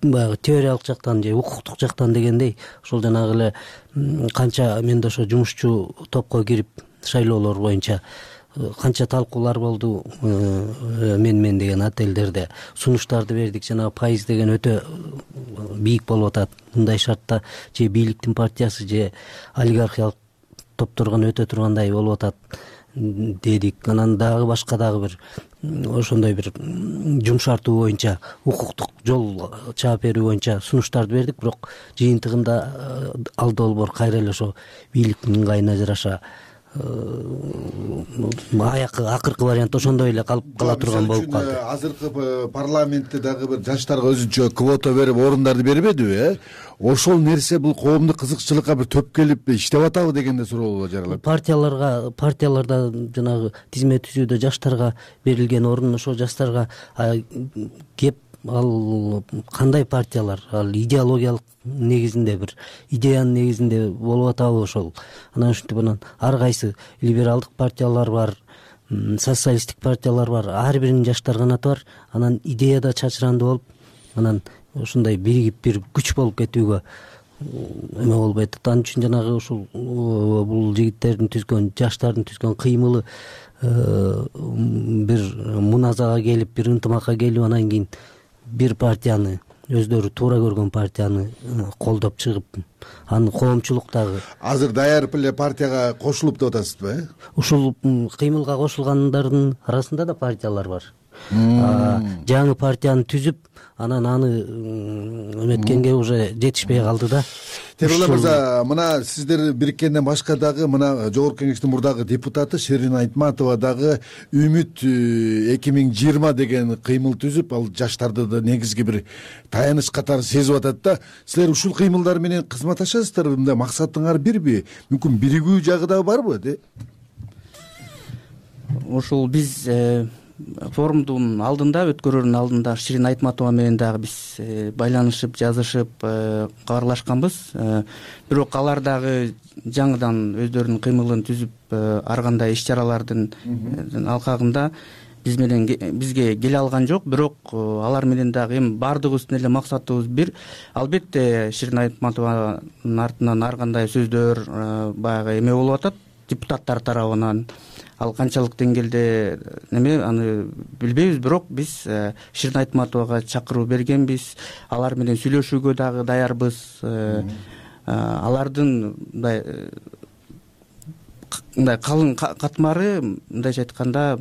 баягы теориялык жактан же укуктук жактан дегендей, ошол жанагы эле канча менде ошо жумушчу топко кирип шайлоолор боюнча канча талкуулар болду, мен деген отелдерде сунуштарды бердик, жанагы пайыз деген өтө бийик болуп атат. Мындай шартта же бийликтин партиясы же олигархиялык топторгон өтө тургандай болуп атат дедик. Анан дагы башка дагы бир ошондой бир жумшартуу боюнча, укуктук жол чаап берүү боюнча сунуштарды бердик, бирок жыйынтыгында ал долбоор кайра эле ошо бийликтин ыңгайына жараша акыркы вариант ошондой эле калып кала турган болуп калды. Азыркы парламентте дагы бир жаштарга өзүнчө квота берип, орундарды бербедиби? Ошол нерсе бул коомдук кызыкчылыкка бир төп келип иштеп атабы дегенде суроолор жаралат. Партияларда жанагы тизме түзүүдө жаштарга берилген орун, ошо жаштарга кеп, ал кандай партиялар, ал идеологиялык негизинде, бир идеянын негизинде болуп атабы ошол. Анан ушинтип анан ар кайсы либералдык партиялар бар, социалисттик партиялар бар, ар биринин жаштар канаты бар. Анан идеяда чачырандуу болуп, анан ушундай биригип бир күч болуп кетүүгө эме болбойт. Ал үчүн жанагы ушул бул жигиттердин түзгөн, жаштардын түзгөн кыймылы бир муназага келип, бир ынтымакка келип, анан кийин бир партияны, өздөрү туура көргөн партияны колдоп чыгып, аны коомчулук дагы азыр даяр эле партияга кошулуп деп атасызбы? Ушул кыймылга кошулгандардын арасында да партиялар бар. Жаңы партияны түзүп, анан аны эметкенге уже жетишпей калды да. Темирлан мырза, мына сиздер бириккенден башка дагы мына Жогорку Кеңештин мурдагы депутаты Шерин Айтматова дагы Үмүт 2020 деген кыймыл түзүп, ал жаштарды да негизги бир таяныч катары сезип атат да. Силер ушул кыймылдар менен кызматташасыздарбы? Мындай максатыңар бирби? Мүмкүн биригүү жагы да барбы? Ушул биз форумдун алдында, өткөрүүнүн алдында Ширин Айтматова менен дагы биз байланышып, жазышып, кабарлашканбыз. Бирок алар дагы жаңыдан өздөрүнүн кыймылын түзүп, ар кандай иш-чаралардын алкагында бизге келе алган жок. Бирок алар менен дагы эми баардыгыбыздын эле максатыбыз бир. Албетте Ширин Айтматованын артынан ар кандай сөздөр баягы эме болуп атат депутаттар тарабынан. Ал канчалык деңгээлде неме аны билбейбиз, бирок биз Ширин Айтматовага чакыруу бергенбиз. Алар менен сүйлөшүүгө дагы даярбыз. Алардын мындай калың катмары, мындайча айтканда,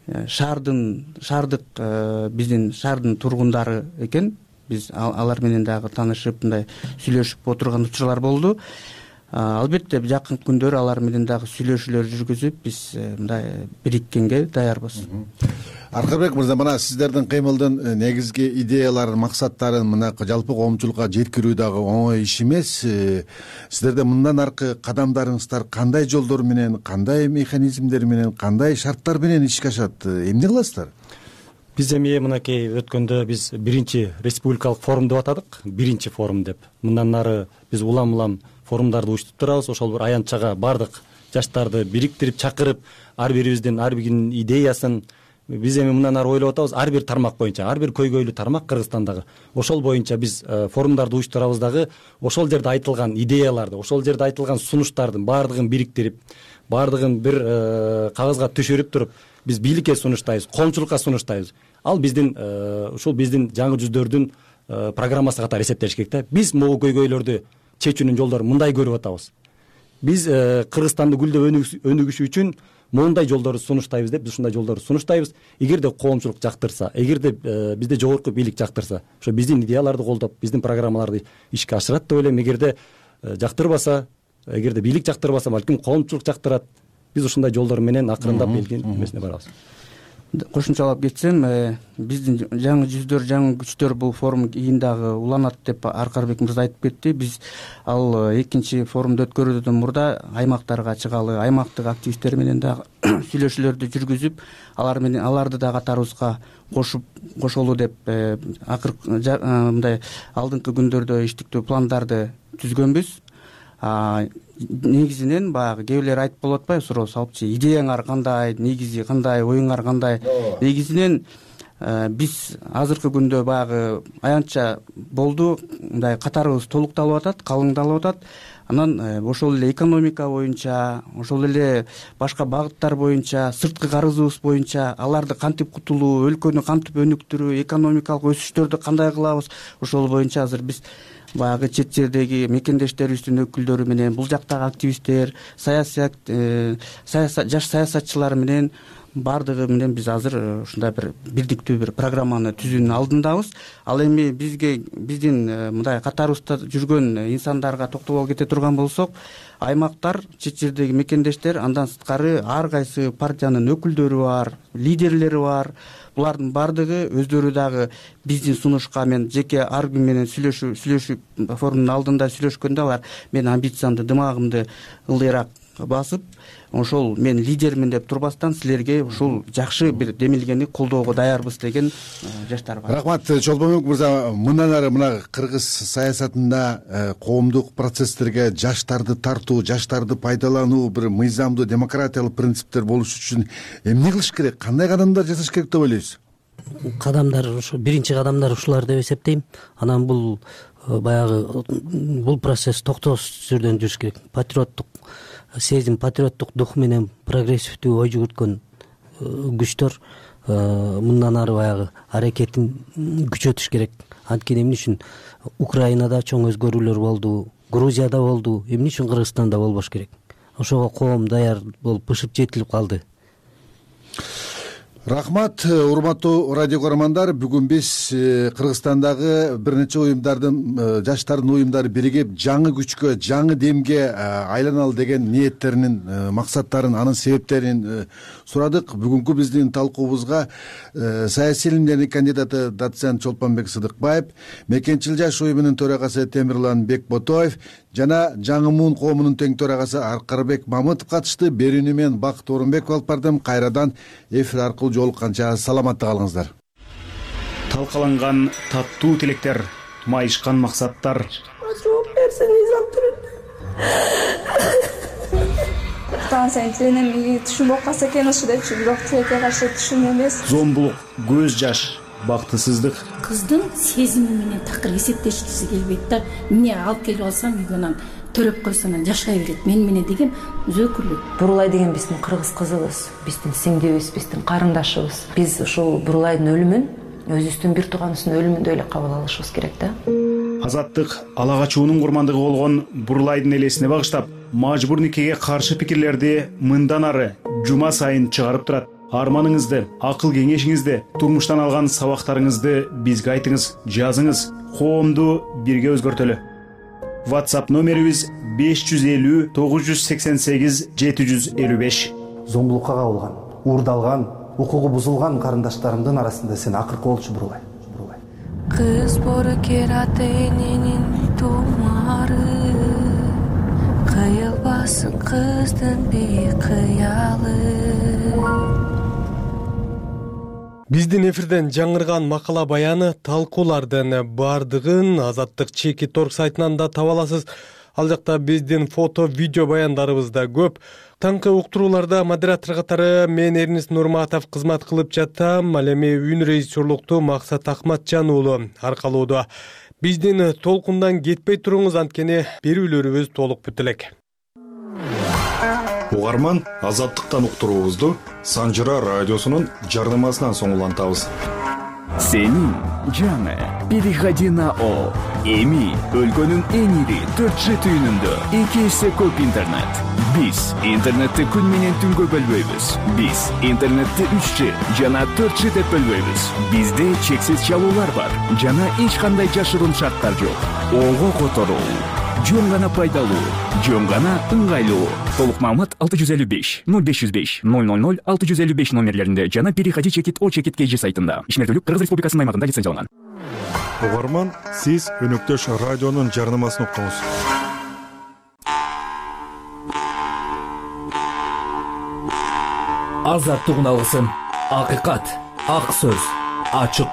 шаардык биздин шаардын тургундары экен. Биз алар менен дагы таанышып, мындай сүйлөшүп отурган учурлар болду. Албетте жакын күндөрү алар менен дагы сүйлөшүүлөр жүргүзүп, биз мындай бириккенге даярбыз. Аркарбек мырза, мына сиздердин кыймылдын негизги идеяларын, максаттарын мына жалпы коомчулукка жеткирүү дагы оңой иш эмес. Сиздерде мындан аркы кадамдарыңыздар кандай жолдор менен, кандай механизмдер менен, кандай шарттар менен ишке ашат? Эмне кыласыздар? Биз эми мынакей өткөндө биз биринчи республикалык форум деп атадык, биринчи форум деп. Мындан ары биз улам форумдарды уюштуруп турабыз. Ошол бир аянтчага бардык жаштарды бириктирип, чакырып, ар бирибиздин ар биринин идеясын биз эми мындан ары ойлоп атабыз. Ар бир тармак боюнча, ар бир көйгөйлүү тармак Кыргызстандагы. Ошол боюнча биз форумдарды уюштурабыз дагы. Ошол жерде айтылган идеяларды, ошол жерде айтылган сунуштардын баардыгын бириктирип, баардыгын бир кагазга түшүрүп туруп, биз бийликке сунуштайбыз, коомчулукка сунуштайбыз. Ал биздин ушул биздин жаңы жүздөрдүн программасы катары эсептелиш керек да. Биз могу көйгөйлөрдү чечүүнүн жолдорун мындай көрүп атабыз. Биз Кыргызстанды гүлдөп өнүгүшү үчүн моундай жолдорду сунуштайбыз деп, биз ушундай жолдорду сунуштайбыз. Эгерде коомчулук жактырса, эгерде бизде жогорку бийлик жактырса, ошо биздин идеяларды колдоп, биздин программаларды ишке ашырат деп ойлойм. Эгерде жактырбаса, эгерде бийлик жактырбаса, балким коомчулук жактырат. Биз ушундай жолдор менен акырындап бийликтин эмесине барабыз. Кошумчалап кетсем, биздин жаңы жүздөр, жаңы күчтөр бул форум кийин дагы уланат деп Аркарбек мырза айтып кетти. Биз ал экинчи форумду өткөрүүдөн мурда аймактарга чыгалы, аймактык активисттер менен дагы сүйлөшүүлөрдү жүргүзүп, алар менен аларды да катарыбызга кошолуу деп мындай алдыңкы күндөрдө иштиктүү пландарды түзгөнбүз. Негизинен баягы кээ бирлер айтып болуп атпайбы, суроо салыпчы, идеяңар кандай, негизи кандай, оюңар кандай? Негизинен биз азыркы күндө баягы аянтча болду, мындай катарыбыз толукталып атат, калыңдалып атат. Анан ошол эле экономика боюнча, ошол эле башка багыттар боюнча, сырткы карызыбыз боюнча аларды кантип кутулуу, өлкөнү кантип өнүктүрүү, экономикалык өсүштөрдү кандай кылабыз, ошол боюнча азыр биз баягы чет жердеги мекендештерибиздин өкүлдөрү менен, бул жактагы активисттер, жаш саясатчылар менен баардыгы менен биз азыр ушундай бир бирдиктүү бир программаны түзүүнүн алдындабыз. Ал эми биздин мындай катарыбызда жүргөн инсандарга токтоло кете турган болсок, аймактар, чет жердеги мекендештер, андан сырткары ар кайсы партиянын өкүлдөрү бар, лидерлери бар. Булардын баардыгы өздөрү дагы биздин сунушка мен жеке ар ким менен сүйлөшүп форумдун алдында сүйлөшкөндө алар мен амбициямды, дымагымды ылдыйраак басып, ошол мен лидермин деп турбастан силерге ушул жакшы бир демилгени колдоого даярбыз деген жаштар бар. Рахмат, Чолпонбек мырза, мындан ары мына кыргыз саясатында коомдук процесстерге жаштарды тартуу, жаштарды пайдалануу, бир мыйзамдуу демократиялык принциптер болуш үчүн эмне кылыш керек, кандай кадамдар жасаш керек деп ойлойсуз? Кадамдар ушу биринчи кадамдар ушулар деп эсептейм. Анан бул баягы бул процесс токтоосуз түрдөн жүрүш керек. Патриоттук сезим, патриоттук дух менен прогрессивдүү ой жүгүрткөн күчтөр мындан ары баягы аракетин күчөтүш керек. Анткени эмне үчүн Украинада чоң өзгөрүүлөр болду, Грузияда болду, эмне үчүн Кыргызстанда болбош керек? Ошого коом даяр болуп бышып жетилип калды. Рахмат, урматтуу радио көрөрмандар, бүгүн биз Кыргызстандагы бир нече уюмдардын, жаштардын уюмдары биригип жаңы күчкө, жаңы демге айланалы деген ниеттеринин, максаттарын, анын себептерин сурадык. Бүгүнкү биздин талкуубузга саясий илимдердин кандидаты доцент Чолпонбек Сыдыкбаев, Мекенчил жаш уюмунун төрагасы Темирлан Бекботоев жана Жаңы муун коомунун тең төрагасы Аркарбек Мамытов катышты. Берүүнү мен Бакыт Орунбеков алып бардым. Кайрадан эфир аркылуу жолукканча саламатта калыңыздар. Талкаланган таттуу тилектер, майышкан максаттар. Жооп берсең Станция тилинен түшүнүп калса экен ушу депчи, бирок тилекке каршы түшүн эмес. Зомбулук, көз жаш, бактысыздык. Кыздын сезими менен такыр эсептешкиси келбейт да. Эмне алып келип алсам үйгөнөн төрөп койсоң жашай берет мен менен деген өзөкүрлүк. Бурулай деген биздин кыргыз кызыбыз, биздин сиңдибиз, биздин карындашыбыз. Биз ушул Бурулайдын өлүмүн өзүбүздүн бир тууганыбыздын өлүмүндөй эле кабыл алышыбыз керек да. Азаттык, ала качуунун курмандыгы болгон Бурулайдын элесине багыштап, мажбур никеге каршы пикирлерди мындан ары жума сайын чыгарып турат. Арманыңызды, акыл кеңешиңизди, турмуштан алган сабактарыңызды бизге айтыңыз, жазыңыз. Коомду бирге өзгөртөлү. WhatsApp номерибиз 550 988 755. Зомбулукка кабылган, уурдалган, укугу бузулган карындаштарымдын арасында сен акыркы болчу Бурубай. Кыз боркер ата эненин тумары, кыйылбасын кыздын бейкыялы. Биздин эфирден жаңырган макала баяны талкуулардын бардыгын Азаттык чекит орг сайтынан да таба аласыз. Ал жакта биздин фото, видео баяндарыбыз да көп. Таңкы уктурууларда модератор катары мен Эрнис Нурматов кызмат кылып жатам. Ал эми үн режиссерлукту Максат Акматжан уулу аркалоодо. Биздин толкундан кетпей туруңуз, анткени берүүлөрүбүз толук бүтө элек. Угарман, Азаттыктан уктуруубузду Санжыра радиосунун жарнамасынан соң улантабыз. Сенин жаңы переходи на О. Эми өлкөнүн эң ири 4G түйүнүндө 2 эсе көп интернет. Биз интернетти күн менен түнгө бөлбөйбүз. Биз интернетти 3G жана 4G деп бөлбөйбүз. Бизде чексиз чалуулар бар жана эч кандай жашыруун шарттар жок. Ого которуу, жөн гана пайдалуу, жөн гана ыңгайлуу. Толук маалымат 655 0505 000 655 номерлеринде жана переходи чекит О чекит KG сайтында. Ишмердүүлүк Кыргыз Республикасынын аймагында лицензияланган. Угарман, сиз өнөктөш радионун жарнамасын уктуңуз. Азаттык уналгысын, акыйкат, ак сөз, ачык